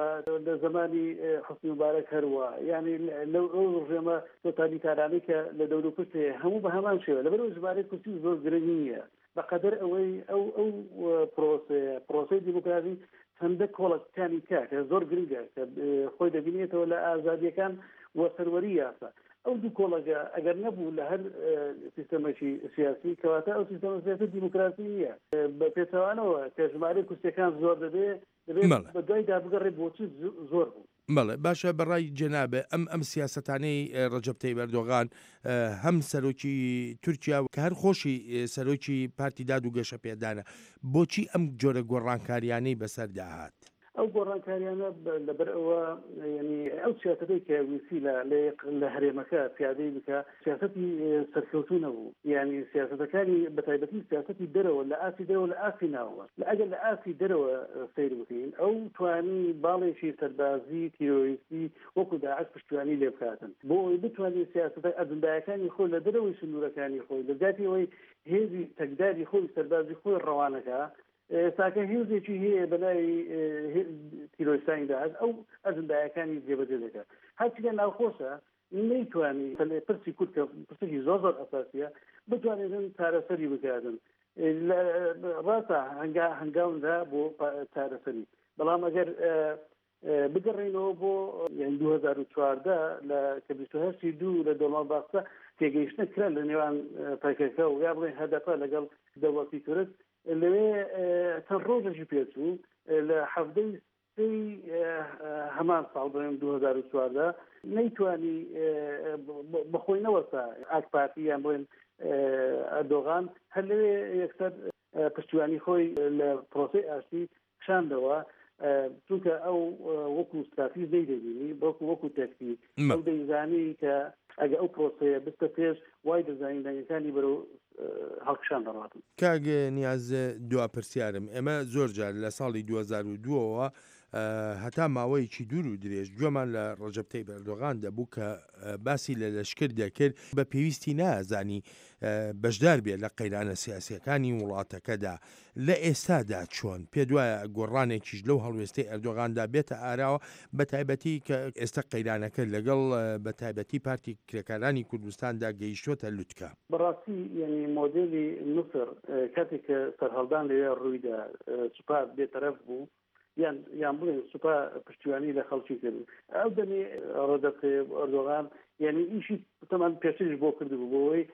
لە زەمانی حوسنی موبارەک هەروا یعنی لەو ئەو ڕژێمە تۆتالیتارانەی کە لە دەوروپشت هەیە هەموو بە هەمان شێوە لەبەرئەوەی ژمارەی کورسی زۆر گرنگ نییە بەقەدەر ئەوەی ئەو ئەو پرۆسەیە پرۆسەی دیموکراسی چەندە کۆڵەکانی تیا کە زۆر گرنگە کە خۆی دەبینێتەوە لە ئازادیەکان و سەروەری یاسا ئەو دوو کۆڵەگە ئەگەر نەبوو لە هەر سیستەمێکی سیاسی کەواتە ئەو سیستەمە سیاسی دیموکراسی نییە بە پێچەوانەوە کە ژمارەی کورسیەکان زۆر دەبێ دەبێت بە دوایدا بگەڕێ بۆچی زۆر بوو. بەڵێ باشە بە ڕای جەنابت ئەم ئەم سیاسەتانەی ڕەجەب تەیب ئەردۆغان هەم سەرۆکی تورکیا کە هەر خۆشی سەرۆکی پارتی داد و گەشەپێدانە بۆچی ئەم جۆرە گۆڕانکاریانەی بەسەردا هات؟ ئەو گۆڕانکاریانە لەبەر ئەوە یعنی ئەو سیاسەتەی کە ویستی لە لە هەرێمەکە پیادەی بکە سیاسەتی سەرکەوتوو نەبوو یعنی سیاسەتەکانی بەتایبەتی سیاسەتی دەرەوە لە ئاستی دەرەوە لە ئاستی ناوەوە لە ئەگەر لە ئاستی دەرەوە سەیر بکەین ئەو توانی باڵێکی سەربازی تیرۆریستی وەکو داعش پشتیوانی لێ بکاتن بۆ ئەوەی بتوانێت سیاسەتە ئەجندایەکانی خۆی لە دەرەوەی سنوورەکانی خۆی لە جیاتی ئەوەی هێزی چەکداری خۆی سەربازی خۆی ڕەوانەکا ئێستاکە هێزێکی هەیە بە ناوی تیرۆریستانی داعش ئەو ئەجندایەکانی جێبەجێ دەکات هەرچی لە ناوخۆشە نەیتوانی پرسی کورد کە پرسێکی زۆر زۆر ئەساسیە بتوانێتن چارەسەری بکاتن ڕاستە هەنگا هەنگاونرا بۆ چارەسەری بەڵام ئەگەر بگەڕێینەوە بۆ 2014 لە کە 28 دوو لە دۆڵما باخچە تێگەیشتنە کرا لە نێوان پەکەکە و یا بڵێن هەدەپە لەگەڵ دەوڵەتی تورک لەوێ چەند ڕۆژێکی پێچوو لە حەڤدەی سێی هەمان ساڵ بڵێم 2014 نەیتوانی بەخۆی نەوەستا ئاک پارتی یان بڵێن ئەردۆغان هەر لەوێ یەکسەر پشتیوانی خۆی لە پرۆسەی ئاشتی کشاندەوە چونکە ئەو وەکو ستراتیژ نەیدەبینی بەڵکو وەکو تەکتیک ئەو دەیزانی کە ئەگە ئەو پرۆسەیە بستە پێش وای دەزانی دەنگەکانی بەرەو هەڵکشان دەڕاتن. کاک نیاز دوا پرسیارم ئێمە زۆر جار لە ساڵی 2002 ەوە هەتا ماوەیەکی دوور و درێژ گوێمان لە ڕەجەب تەیب ئەردۆغان دەبوو کە باسی لە لەشکر دەکرد بە پێویستی نازانی بەشدار بێت لە قەیرانە سیاسیەکانی وڵاتەکەدا لە ئێستادا چۆن پێت وایە گۆڕانێکیش لەو هەڵوێستەی ئەردۆغاندا بێتە ئاراوە بە تایبەتی کە ئێستا قەیرانەکە لەگەڵ بە تایبەتی پارتی کرێکارانی کوردستاندا گەیشتۆتە لوتکە؟ بەڕاستی یانی مۆدێلی میسر کاتێک کە سەرهەڵدان لەوێ ڕوویدا سوپا بێتەرەف بوو یان یان بڵێن سوپا پشتیوانی لە خەڵکی کرد ئەو دەمی ڕەجەب تەیب ئەردۆغان یعنی ئیشی تەمان پێشتریش بۆ کردبوو بۆ ئەوەی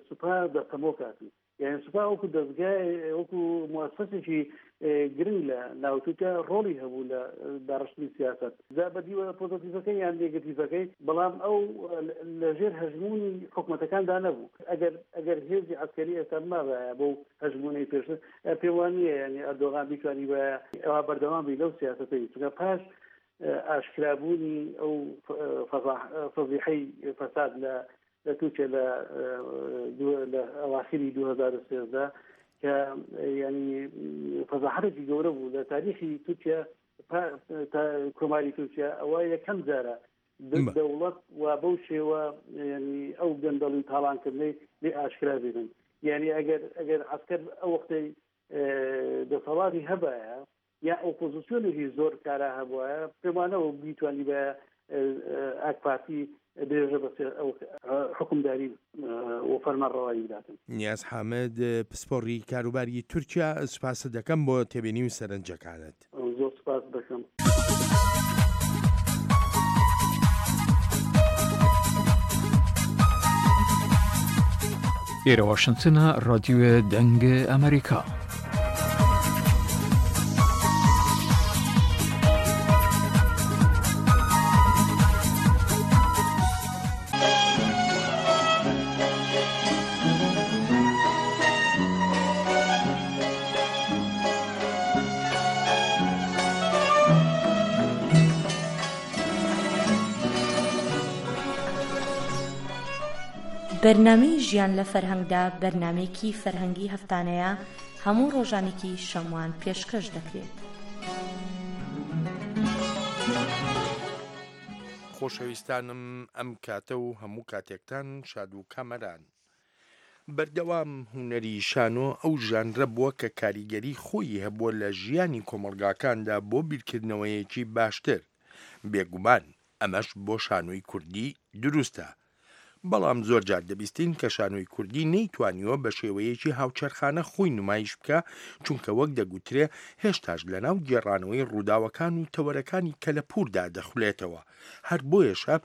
سوپا دەستەمۆ کاتن یعنی سوپا وەکو دەستگای وەکو موسسێکی گرنگ لە ناو تورکیا ڕۆڵی هەبوو لە داڕشتنی سیاست جا بە دیوە پۆزەتیڤەکەی یان نێگەتیڤەکەی بەڵام ئەو لەژێر هەژموونی حکومەتەکاندا نەبوو ئەگەر ئەگەر هێزی عەسکەری ئێستا بمابایە بەو هەژموونەی پێشتر پێم وا نییە یانی ئەردۆغان بیتوانیبایە ئەوا بەردەوام بی لەو سیاسەتەی چونکە پاش ئاشکرابوونی ئەو فەزیحەی فەساد لە لە تورکیا لە لە ئەواخری 2013. کە ینی فەزاحەتێکی گەورە بوو لە تاریخی تورکیا کۆماری تورکیا ئەوە یەکەم جارە دەوڵەت و بەو شێوە ینی ئەو گەندەڵی و تاڵانکردنەی لێ ئاشکرا ببن یعنی ئەگەر ئەگەر عسکەر ئەو وەختەی دەسەڵاتی هەبایە یا ئۆپۆزیسیۆنێکی زۆر کارا هەبوایە پێمانەوە بیتوانیبایە ئاک پارتی درێژە بە حکومداری و فەرمانڕەوایی بداتن. نیاز حامد، پسپۆڕی کاروباری تورکیا، سوپاست دەکەم بۆ تێبینی و سەرنجەکانت. زۆر سوپاست دەکەم. ئێرە واشنتنە ڕادیوێ دەنگ ئەمریکا. بەرنامەی ژیان لە فەرهەنگدا بەرنامەیەکی فەرهەنگی هەفتانەیە هەموو ڕۆژانێکی شەموان پێشکەش دەکرێت. خۆشەویستانم ئەم کاتە و هەموو کاتێکتان شاد و کامەران. بەردەوام هونەری شانۆ ئەو ژانرە بووە کە کاریگەری خۆیی هەبووە لە ژیانی کۆمەڵگاکاندا بۆ بیرکردنەوەیەکی باشتر. بێگومان ئەمەش بۆ شانۆی کوردی دروستە. بەڵام زۆر جار دەبیستین کە شانۆی کوردی نەیتوانیوە بە شێوەیەکی هاوچەرخانە خۆی نمایش بکا، چونکە وەک دەگوترێ هێشتاش لەناو گێڕانەوەی ڕووداوەکان و تەوەرەکانی کەلەپووردا دەخولێتەوە. هەر بۆیەشە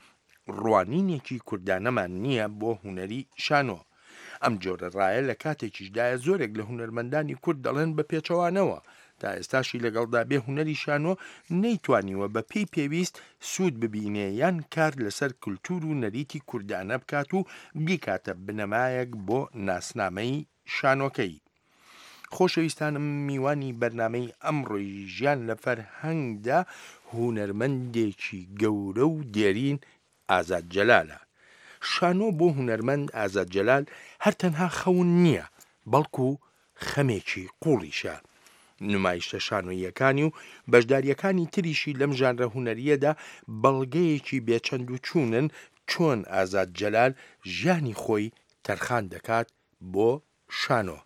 ڕوانینێکی کوردانەمان نییە بۆ هونەری شانۆ. ئەم جۆرە ڕایە لە کاتێکیشدایە زۆرێک لە هونەرمەندانی کورد دەڵێن بە پێچەوانەوە تا ئێستاشی لەگەڵدا بێ هونەری شانۆ نەیتوانیوە بە پێی پێویست سوود ببینێ یان کار لەسەر کلتور و نەریتی کوردانە بکات و بیکاتە بنەمایەک بۆ ناسنامەی شانۆکەی. خۆشەویستانم میوانی بەرنامەی ئەمڕۆی ژیان لە فەرهەنگدا هونەرمەندێکی گەورە و دێرین ئازاد جەلالە. شانۆ بۆ هونەرمەند ئازاد جەلال هەر تەنها خەون نییە، بەڵکو خەمێکی قوڵیشە. نمایشتە شانۆییەکانی و بەشدارییەکانی تریشی لەم ژانرە هونەرییەدا بەڵگەیەکی بێ چەند و چوونن چۆن ئازاد جەلال ژیانی خۆی تەرخان دەکات بۆ شانۆ.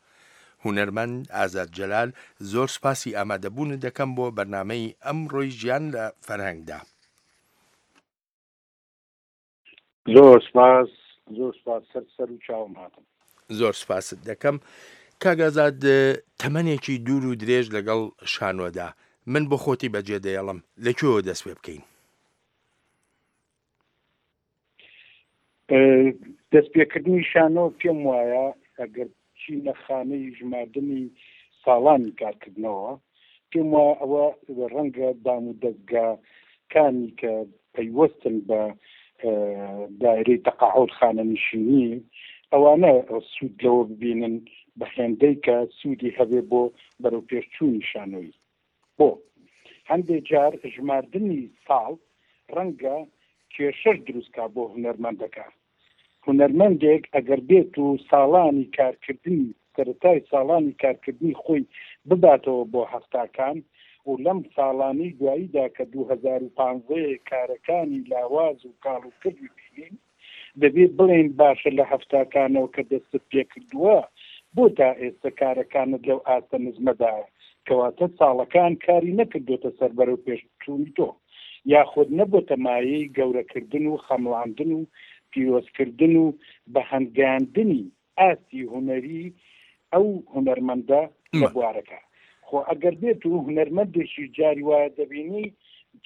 هونەرمەند ئازاد جەلال زۆر سوپاسی ئامادەبوونت دەکەم بۆ بەرنامەی ئەمڕۆی ژیان لە فەرهەنگدا. زۆر سپاس زۆر سپاس سەر سەر و چاوم هاتم. زۆر سپاست دەکەم کاک ئازاد تەمەنێکی دوور و درێژ لەگەڵ شانۆدا من بۆ خۆتی بەجێ دەیەڵم لە کوێوە دەست پێ بکەین؟ دەستپێکردنی شانۆ پێم وایە ئەگەر بچینە خانەی ژماردنی ساڵانی کارکردنەوە، پێم وایە ئەوە ڕەنگە دام و دەزگاکانی کە پەیوەستن بە دایرەی تەقاعود خانەنشینی ئەوانە سوود لەوە ببینن بە هێندەی کە سوودی هەبێ بۆ بەرەوپێشچوونی شانۆیی. بۆ هەندێ جار ژماردنی ساڵ ڕەنگە کێشەش دروست کا بۆ هونەرمەندەکە. هونەرمەندێک ئەگەر بێت و ساڵانی کارکردنی سەرەتای ساڵانی کارکردنی خۆی بباتەوە بۆ هەفتاکان و لەم ساڵانەی دواییدا کە 2015 کارەکانی لاواز و کاڵ و کرد ببینین دەبێ بڵێین باشە لە هەفتاکانەوە کە دەستت پێکردووە بۆ تا ئێستە کارەکانت لەو ئاستە نزمەدایە کەواتە ساڵەکان کاری نەکردۆتە سەر بەرەو پێشچوونی تۆ یاخود نەبۆتە مایەی گەورەکردن و خەمڵاندن و پیرۆزکردن و بەهەندگەیاندنی ئاستی هونەری ئەو هونەرمەندە لە بوارەکە. خۆ ئەگەر بێت و هونەرمەندێکیش جاری وایە دەبینی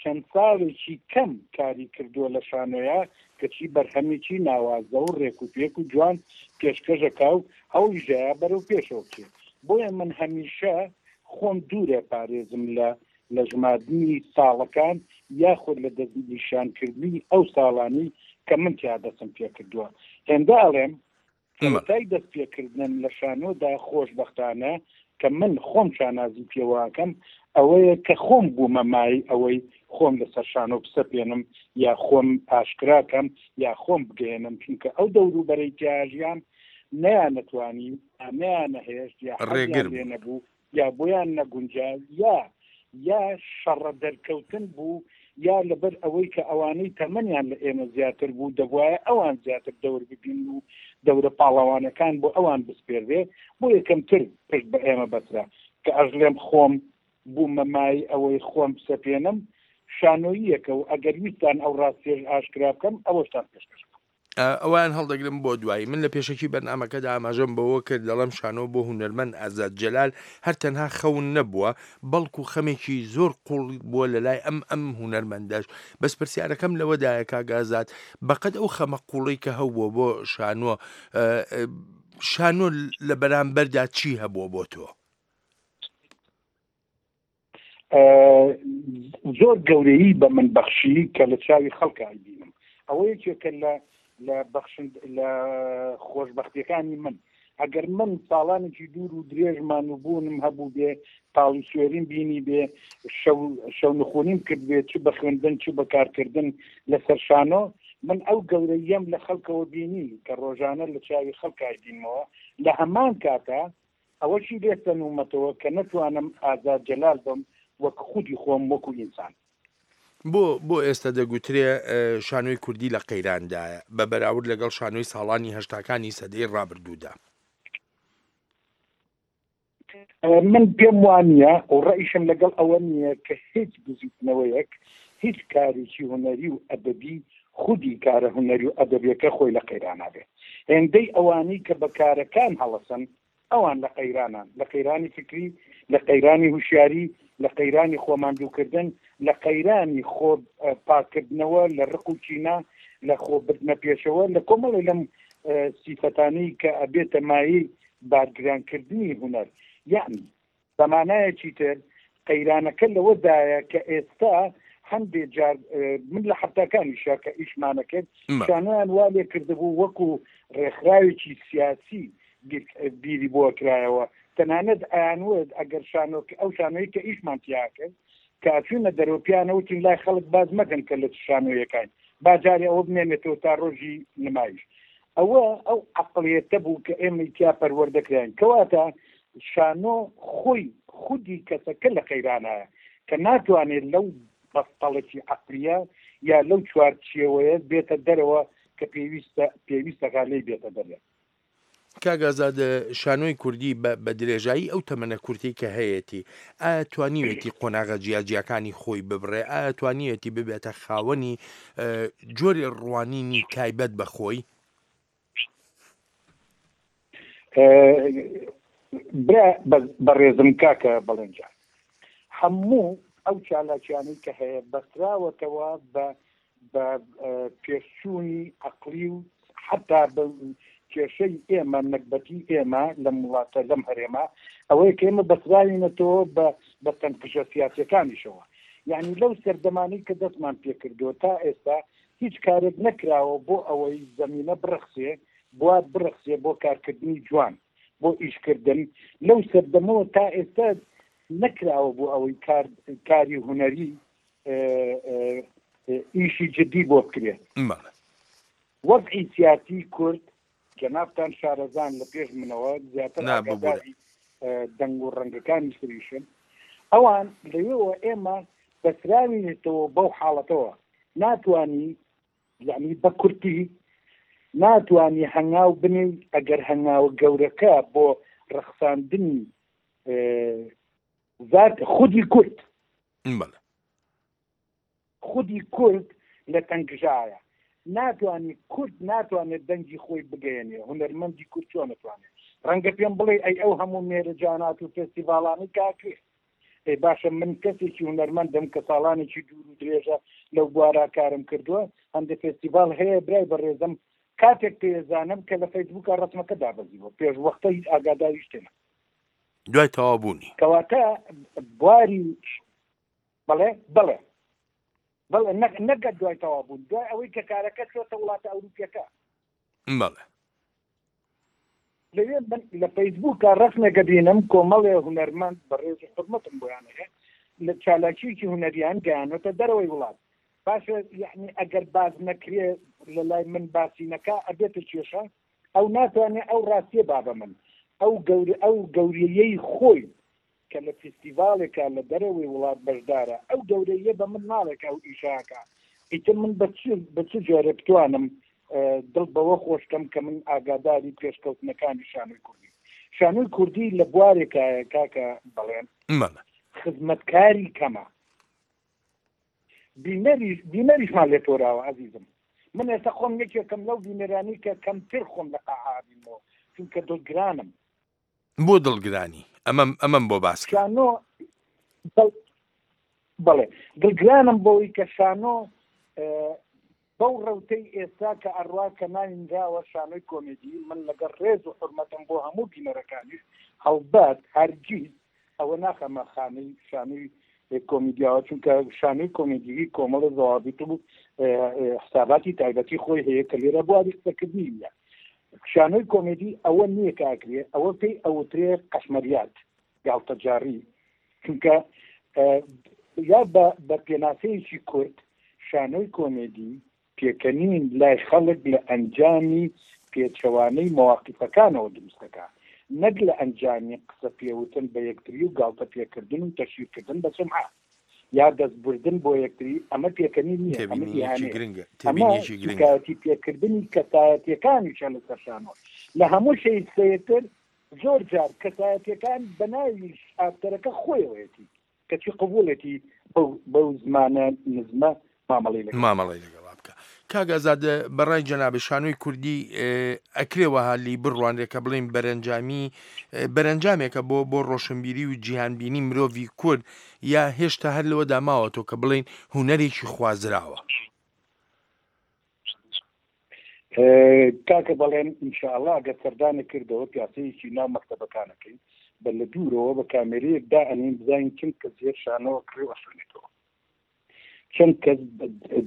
چەند ساڵێکی کەم کاری کردووە لە شانۆیا کەچی بەرهەمێکی ناوازە و ڕێک و پێک و جوان پێشکەش ئەکا و هەوڵیش دایە بەرەو پێشەوە بچێ. بۆیە من هەمیشە خۆم دوورە پارێزم لە لە ژماردنی ساڵەکان یاخود لە دەستنیشانکردنی ئەو ساڵانەی کە من تیا دەستم پێکردووە. هێندە ئەڵێم سەرەتای دەست پێکردنم لە شانۆدا خۆشبەختانە کە من خۆم شانازی پێوەکەم ئەوەیە کە خۆم بوومە مایەی ئەوەی خۆم لەسەر شانۆ بسەپێنم یا خۆم ئاشکراکەم یا خۆم بگەیەنم چونکە ئەو دەوروبەرەی تیاژیام نەیانەتوانی یا نەیانەهێشت یا حەزیان ڕێگر لێ بوو. نەبوو یا بۆیان نەگونجا یا یا شەڕە دەرکەوتن بوو یا لەبەر ئەوەی کە ئەوانەی تەمەنیان لە ئێمە زیاتر بوو دەبوایە ئەوان زیاتر دەور ببینن و دەورە پاڵەوانەکان بۆ ئەوان بسپێررێ بۆیە کەمتر پشت بە ئێمە بەسرا کە ئەژڵێم خۆم بوومە مایەی ئەوەی خۆم بسەپێنم شانۆییەکە و ئەگەر ویستتان ئەو ڕاستیەش ئاشکرا بکەم ئەوەشتان پێشکەش بکەم. ئەوەیان هەڵدەگرم بۆ دوایی. من لە پێشەکی بەرنامەکەدا ئاماژەم بەوە کرد دەڵێم شانۆ بۆ هونەرمەند ئازاد جەلال هەر تەنها خەون نەبووە بەڵکو خەمێکی زۆر قوڵ بووە لەلای ئەم ئەم هونەرمەندەش بەس پرسیارەکەم لەوەدایە کاک ئازاد بەقەد ئەو خەمە قوڵەی کە هەبووە بۆ شانۆ شانۆ لە بەرامبەردا چی هەبووە بۆ تۆ؟ زۆر گەورەیی بە من بەخشی کە لە چاوی خەڵکا ئەیبینم ئەوە یەکێکە لە لە بەخشند لە خۆشبەختیەکانی من ئەگەر من ساڵانێکی دوور و درێژ مانووبوونم هەبوو بێ تاڵی سوێریم بینی بێ شەو شەونخونیم کرد بێ چ بە خوێندن چ بە کارکردن لەسەر شانۆ من ئەو گەورەییەم لە خەڵکەوە بینی کە ڕۆژانە لە چاوی خەڵکا ئەیبینمەوە لە هەمان کاتا ئەوەشی لێ سەنوومەتەوە کە نەتوانم ئازاد جەلال بم وەک خودی خۆم وەکو ئینسان. بۆ بۆ ئێستا دەگوترێ شانۆی کوردی لە قەیراندایە بە بەراورد لەگەڵ شانۆی ساڵانی هەشتاکانی سەدەی ڕابردوودا؟ من پێم وانییە و ڕەئیشم لەگەڵ ئەوە نییە کە هیچ بزووتنەوەیەک، هیچ کارێکی هونەری و ئەدەبی خودی کارە هونەری و ئەدەبیەکە خۆی لە قەیرانا بێ. هێندەی ئەوانەی کە بە کارەکان هەڵەسن ئەوان لە قەیرانان، لە قەیرانی فکری، لە قەیرانی هوشیاری، لە قەیرانی خۆماندووکردن، لە قەیرانی خۆ پاککردنەوە لە ڕق و کینە، لە خۆ بردنە پێشەوە، لە کۆمەڵێ لەم سیفەتانەی کە ئەبێتە مایەی بارگرانکردنی هونەر. یەعنی بە مانایەکی تر قەیرانەکە لەوەدایە کە ئێستا هەندێ جار من لە حەفتاکانیشا کە ئیشمانە کرد شانۆیان وا لێ کردبوو وەکو ڕێکخراوێکی سیاسی بیری بۆ کرایەوە تەنانەت ئەیانوت ئەگەر شانۆ ئەو شانۆی کە ئیشمان تیا کرد کە ئەچوینە دەرەوە پیانە وتین لای خەڵک باس مەکەن کە لە چ شانۆیەکاین با جارێ ئەوە بمێنێتەوە تا ڕۆژی نمایش ئەوە ئەو عەقڵیەتە بوو کە ئێمەی تیا پەروەردە کراین کەواتە شانۆ خۆی خودی کەسەکە لە قەیرانایە کە ناتوانێت لەو بەستەڵەکی عەقلیە یا لەو چوارچێوەیە بێتە دەرەوە کە پێویستە پێویستەکە لێی بێتە دەرێ. کاک ئازاد شانۆی کوردی بە بە درێژایی ئەو تەمەنە کورتەی کە هەیەتی ئایا توانیوێتی قۆناغە جیاجیاکانی خۆی ببڕێ ئایا توانیوێتی ببێتە خاوەنی جۆری ڕوانینی تایبەت بە خۆی؟ برا بەڕێزم کاکە بەڵێن جان هەموو ئەو چالاکیانەی کە هەیە بەستراوەتەوە بە بە پێشچوونی عەقڵی و حەتا بە کێشەی ئێمە نەگبەتی ئێمە لەم وڵاتە لەم هەرێمە ئەوەیە کە ئێمە بەستراوینەتەوە بە بە تەنکژە سیاسیەکانیشەوە یعنی لەو سەردەمانەی کە دەستمان پێکردووە تا ئێستا هیچ کارێک نەکراوە بۆ ئەوەی زەمینە بڕەخسێ بوار بڕەخسێ بۆ کارکردنی جوان بۆ ئیشکردن لەو سەردەمەوە تا ئێستا نەکراوە بۆ ئەوەی کار کاری هونەری ئیشی جدی بۆ بکرێ وەزعی سیاسی کورد جەنابتان شارەزان لە پێش منەوە زیاتر ئاگاداری دەنگ و ڕەنگەکانی سریشن ئەوان لەوێوە ئێمە بەسراوینێتەوە بەو حاڵەتەوە ناتوانی یعنی بە کورتی ناتوانی هەنگاو بنێی ئەگەر هەنگاوە گەورەکە بۆ ڕەخساندنی زات خودی کورد بەڵێ. خودی کورد لە تەنگژایە. ناتوانی کورد ناتوانێت دەنگی خۆی بگەیەنێ، هونەرمەندی کورد چۆن ئەتوانێ؟ ڕەنگە پێم بڵێی ئەی ئەو هەموو مێرەجانات و فێستیڤاڵانەی کە ئەکرێ. ئەی باشە من کەسێکی هونەرمەندم کە ساڵانێکی دوور و درێژە لەو بوارا کارم کردووە، هەندێ فێستیڤاڵ هەیە برای بەڕێزم کاتێک پێیەزانم کە لە فەیسبووکا ڕەسمەکە دابەزیوە، پێش وەختە هیچ ئاگاداری شتێ نەبووم. دوای تەواو بوونی. کەواتە بواری بەڵێ بەڵێ بەڵێ نەک نەگەر دوای تەواو بوون دوای ئەوەی کە کارەکە چۆتە وڵاتە ئەوروپیەکە. بەڵێ. لەوێ من لە فەیسبووکە ڕەسمێکە بینم کۆمەڵێ هونەرمەند بە ڕێز و حورمەتم بۆیان هەیە لە چالاکیەکی هونەریان گەیانۆتە دەرەوەی وڵات باشە یعنی ئەگەر باس نەکرێ لە لای من باسی نەکا ئەبێتە کێشە؟ ئەو ناتوانێ ئەو ڕاستیە با بە من ئەو گەور ئەو گەورەیەی خۆی کە لە فیستیڤاڵێکا لە دەرەوەی وڵات بەشدارە ئەو گەورەییە بە من ناڵێ کە ئەو ئیشە ئەکا ئیتر من بە چ بە چ جۆرێ بتوانم دڵ بەوە خۆش کەم کە من ئاگاداری پێشکەوتنەکانی شانۆی کوردی شانۆی کوردی لە بوارێکایە کاکە بەڵێن بەڵێ خزمەتکاری کەمە بینەریش بینەریشمان لێ تۆراوە ئەزیزم من ئێستا خۆم یەکێکم لەو بینەرانی کە کەمتر خۆم لە قاعە ئەبینمەوە چونکە دڵگرانم بۆ دڵگرانی ئەمەم ئەمەم بۆ باس کە. شانۆ بەڵێ دڵگرانم بەوەی کە شانۆ بەو ڕەوتەی ئێستا کە ئەڕوا کە ناوی نراوە شانۆی کۆمێدی من لەگەڵ ڕێز و حورمەتم بۆ هەموو بینەرەکانیش هەڵبەت هەرگیز ئەوە ناخەمە خانەی شانۆی کۆمیدیاوە چونکە شانۆی کۆمیدیی کۆمەڵە زەوابیت و حساباتی تایبەتی خۆی هەیە کە لێرە بواری قسەکردنی نییە شانۆی کۆمێدی ئەوە نییە کە ئەکرێ ئەوە پێی ئەوترێ قەشمەریات گاڵتەجاڕی چونکە یا بە پێناسەیەکی کورت شانۆی کۆمێدی پێکەنین لای خەڵک لە ئەنجامی پێچەوانەی مەواقیفەکانەوە دروست دەکا نەک لە ئەنجامی قسە پێوتن بە یەکتری و گاڵتە پێکردن و تەشهیرکردن بە سومعە یا دەست بردن بۆ یەکتری ئەمە پێکەنین نییە ئەمە تێبینییەکی ئیهانەیە گرنگە ئەمە تێبینییەکی گرنگە. سوکایەتی پێکردنی کەسایەتیەکانیشە لەسەر شانۆ لە هەموو شەی سەیرتر زۆر جار کەسایەتیەکان بە ناوی ئاکتەرەکە خۆیەوەیەتی کەچی قبوڵێتی بەو بەو زمانە نزمە مامەڵەی لەگەڵ بکات. مامەڵەی لەگەڵا بکا. کاک ئازاد بە ڕای جەنابت شانۆی کوردی ئەکرێ وەها لێی بڕوانرێ کە بڵێین بەرەنجامی بەرەنجامێکە بۆ بۆ ڕۆشنبیری و جیهانبینی مرۆڤی کورد یا هێشتا هەر لەوەدا ماوەتەوە کە بڵێین هونەرێکی خوازراوە؟ کاکە بەڵێن ئینشاءاللە ئەگەر سەردانت کردەوە پیاسەیەکی ناو مەکتەبەکانەکەین بە لە دوورەوە بە کامێرەیەک دائەنێین بزانین چەند کەس هێر شانۆ ئەکڕێ و ئەخوێنێتەوە چەند کەس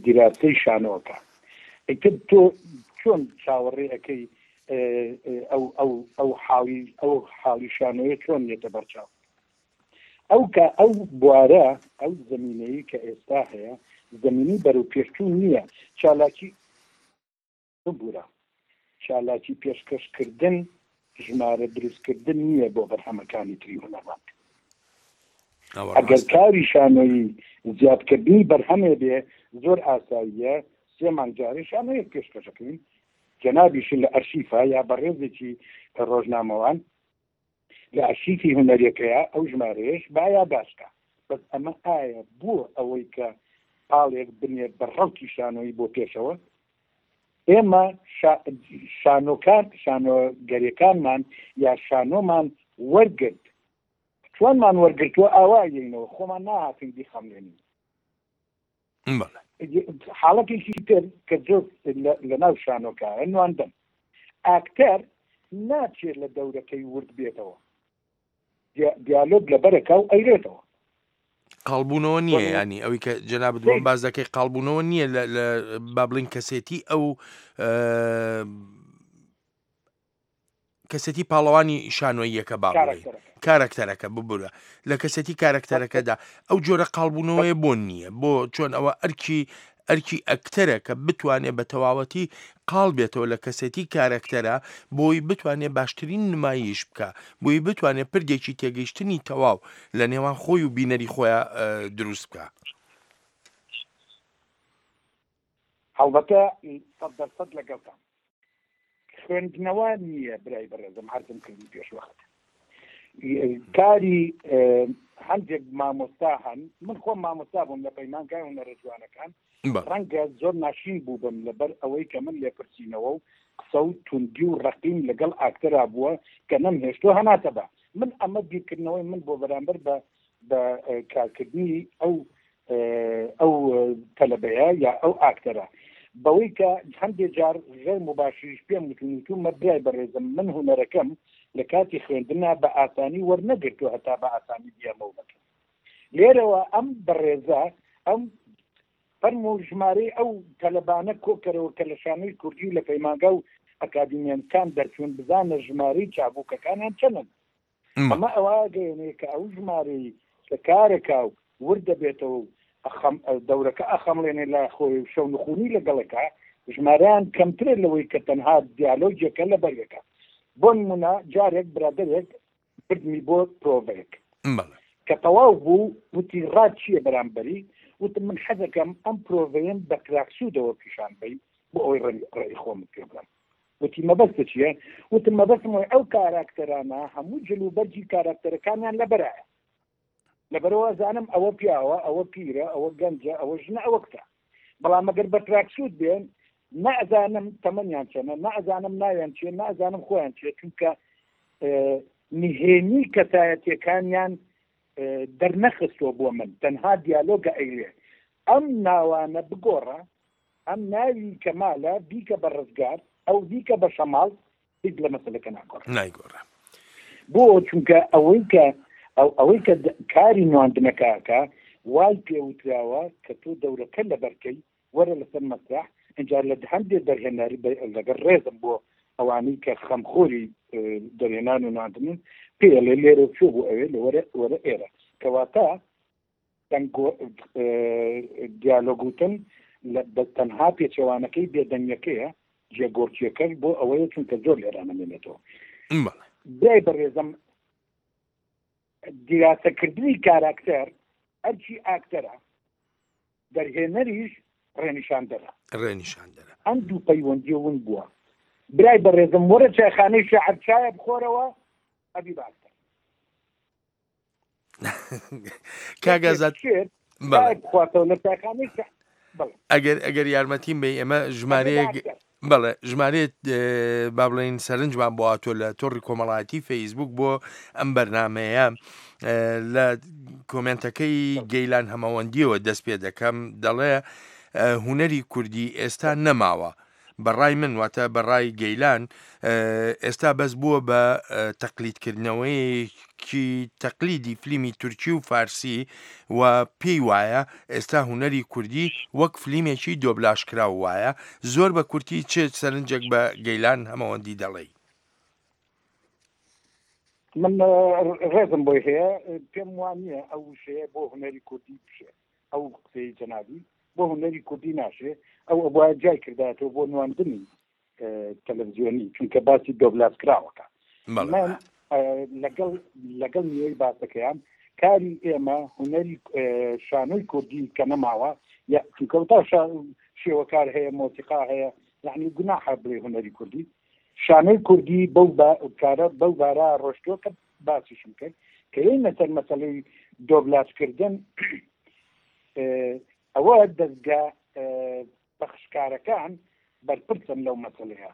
دیراسەی شانۆ ئەکا ئیتر تۆ چۆن چاوەڕێ ئەکەی ئەو ئەو ئەو حاڵی ئەو حاڵی شانۆیە چۆن یەتە بەرچاو ئەو کە ئەو بوارە ئەو زەمینەیە کە ئێستا هەیە زەمینی بەرەو پێشچوون نییە چالاکی ببورە چالاکی پێشکەشکردن ژمارە دروستکردن نییە بۆ بەرهەمەکانی تری هونەرمەند. ئەوە ئەگەر ڕاستە. کاری شانۆیی زیادکردنی بەرهەمێ بێ زۆر ئاساییە سێ مانگ جارێ شانۆیەک پێشکەش ئەکەین جەنابیشی لە ئەرشیفا یا بەڕێزێکی ڕۆژنامەوان لە ئەرشیفی هونەریەکەیا ئەو ژمارەیەش با یاداشت کا بەس ئەمە ئایا بۆ ئەوەی کە پاڵێک بنێ بە ڕەوتی شانۆیی بۆ پێشەوە ئێمە شانۆکان شانۆگەرەکانمان یا شانۆمان وەرگرت چۆنمان وەرگرتووە ئاوا یەینەوە خۆمان ناهاتین بیخەملێنین حاڵەتێکی تر کە زۆر لە ناو شانۆکایە نواندن ئاکتەر ناچێت لە دەورەکەی ورد بێتەوە دیالۆگ لەبەرەکە و ئەیرێتەوە قاڵبوونەوە نییە ینی ئەوەی کە جەنابت بۆم باز دەکەی قاڵبوونەوە نییە لە با بڵین کەسێتی ئەو کەسێتی پاڵەوانی شانۆییەکە با بڵێین کارەکتەرەکە ببورە لە کەسێتی کارەکتەرەکەدا ئەو جۆرە قاڵبوونەوەیە بۆ نییە بۆ چۆن ئەوە ئەرکی ئەرکی ئەکتەرە کە بتوانێت بە تەواوەتی قاڵ بێتەوە لە کەسێتی کارەکتەرە بۆی بتوانێت باشترین نمایش بکە بۆی بتوانێت پردێکی تێگەیشتنی تەواو لە نێوان خۆی و بینەری خۆیان دروست بکە. هەڵبەتە سەد لەگەڵتان خوێندنەوە نییە برای بەڕێزم عەرزم کردی پێش وەخت کاری هەندێک مامۆستا هەن من خۆم مامۆستا بووم لە پەیمانگای هونەرە جوانەکان ڕەنگە زۆر ناشین بووبم لەبەر ئەوەی کە من لێپرسینەوە و قسە و توندی و ڕقیم لەگەڵ ئاکتەرا بووە کە نەمهێشتووە هەناسە بە من ئەمە بیرکردنەوەی من بۆ بەرامبەر بە بە کارکردنی ئەو ئەو تەلەبەیە یا ئەو ئاکتەرە بەوەی کە هەندێ جار غێر مباشریش پێم وتون وتومە برای بەڕێزم من هونەرەکەم لە کاتی خوێندنا بە ئاسانی وەرنەگرتووە هەتا بە ئاسانی بیەمەوە بەکەم لێرەوە ئەم بەڕێزە ئەم فەرموو ژمارەی ئەو تەلەبانە کۆکەرەوە کە لە شانۆی کوردی و لە پەیمانگا و ئەکادیمیەکان دەرچوون بزانە ژمارەی چابووکەکانیان چەنن ئەمە ئەوە ئەگەیەنێ کە ئەو ژمارەی کە کارەکا و ورد دەبێتەوە و دەورەکە ئەخەمڵێنێ لای خۆی و شەونخونی لەگەڵەکا. ژمارەیان کەمترە لەوەی کە تەنها دیالۆگێکە لەبەر یەکە. بۆ نموونە جارێک برادەرێک بردمی بۆ پرۆڤەیەک. بەڵێ. کە تەواو بوو وتی ڕات چییە بەرامبەری؟ وتم من حەزەکەم ئەم پرۆڤەیەم بە تراکسوودەوە پیشان بەی بۆ ئەوەی ڕەئی خۆمت پێ بڵێم. وتی مەبەستت چییە؟ وتم مەبەستم ئەوەیە ئەو کاراکتەرانە هەموو جلوبەرگی کاراکتەرەکانیان لەبەرایە. لەبەرئەوە ئەزانم ئەوە پیاوە، ئەوە پیرە، ئەوە گەنجە، ئەوە ژنە، ئەوە کچە. بەڵام ئەگەر بە تراکسووت بێن، نە ئەزانم تەمەنیان چەنە، نە ئەزانم ناویان چییە، نە ئەزانم خۆیان چییە، چونکە نهێنی کەسایەتیەکانیان دەرنەخستووە بۆ من، تەنها دیالۆگە ئەیلێ. ئەم ناوانە بگۆڕە، ئەم ناوی کەمالە بیکە بە ڕزگار، ئەو بیکە بە شەماڵ، هیچ لە مەسەلەکە ناگۆڕێ. نایگۆڕێ. بۆ؟ چونکە ئەوەی کە ئەو ئەوەی کە کاری نواندنەکە ئەکا وای پێ وتراوە کە تۆ دەورەکە لەبەر کەی وەرە لەسەر مەسرەح ئینجا لە هەندێ دەرهێنەر لەگەڵ ڕێزم بۆ ئەوانەی کە خەمخۆری دەرهێنان و نواندنن پێی ئەڵێ لێرە چۆ بۆ ئەوێ لە وەرە وەرە ئێرە کەواتە دیالۆگ وتن بە تەنها پێچەوانەکەی بێدەنگەکەیە جێگۆڕکیەکەش بۆ ئەوەیە چونکە زۆر لێرە نەمێنێتەوە. برای بەڕێزم دیراسەکردنی کاراکتەر ئەرکی ئاکتەرە دەرهێنەریش ڕێنیشاندەرە ڕێنیشاندەرە ئەم دوو پەیوەندیە ون بووە برای بەڕێزم وەرە چایخانەی شاعر چایە بخۆرەوە ئەبی باکتەر کاک ئازاد ئەگەر ئەگەر یارمەتیم بی ئێمە ژمارەیەک بەڵێ ژمارەیەک با بڵێین سەرنجمان بۆ هاتووە لە تۆڕی کۆمەڵایەتی فەیسبوک بۆ ئەم بەرنمەیە لە کۆمنتەکەی گەیلان هەمەوەندیەوە دەست پێ دەکەم دەڵێ هوەری کوردی ئێستا نەماوە بە ڕای من واتە بە ڕای گەیلان ئێستا بەس بووە بە تەقلیدکردنەوەیەکی تەقلیدی فلیمی تورکی و فارسی و پێی وایە ئێستا هونەری کوردی وەک فلیمێکی دۆبلاژکراو وایە زۆر بە کورتی چ سەرنجێک بە گەیلان هەمەوەندی دەڵێی؟ من ڕێزم بۆی هەیە پێم وانییە ئەو وشەیە بۆ هونەری کوردی بشێ ئەو قسەی جەنابی بۆ هونەری کوردی ناشێ ئەو ئەبوایە جای کردایەتەوە بۆ نواندنی تەلەڤزیۆنی چونکە باسی دۆبلاس کراوەکە من لەگەڵ لەگەڵ نیوەی باسەکەیان کاری ئێمە هونەری شانۆی کوردی کە نەماوە یا چونکە تا شێوەکار هەیە مۆسیقا هەیە یعنی گوناحە بڵێ هونەری کوردی شانۆی کوردی بەو کارە بەو بارە ڕۆشتووە کە باسیشم کرد کە یەینە سەر مەسەلەی دۆبلاجکردن ئەوە دەزگا پەخشکارەکان بەرپرسن لەو مەسەلەیە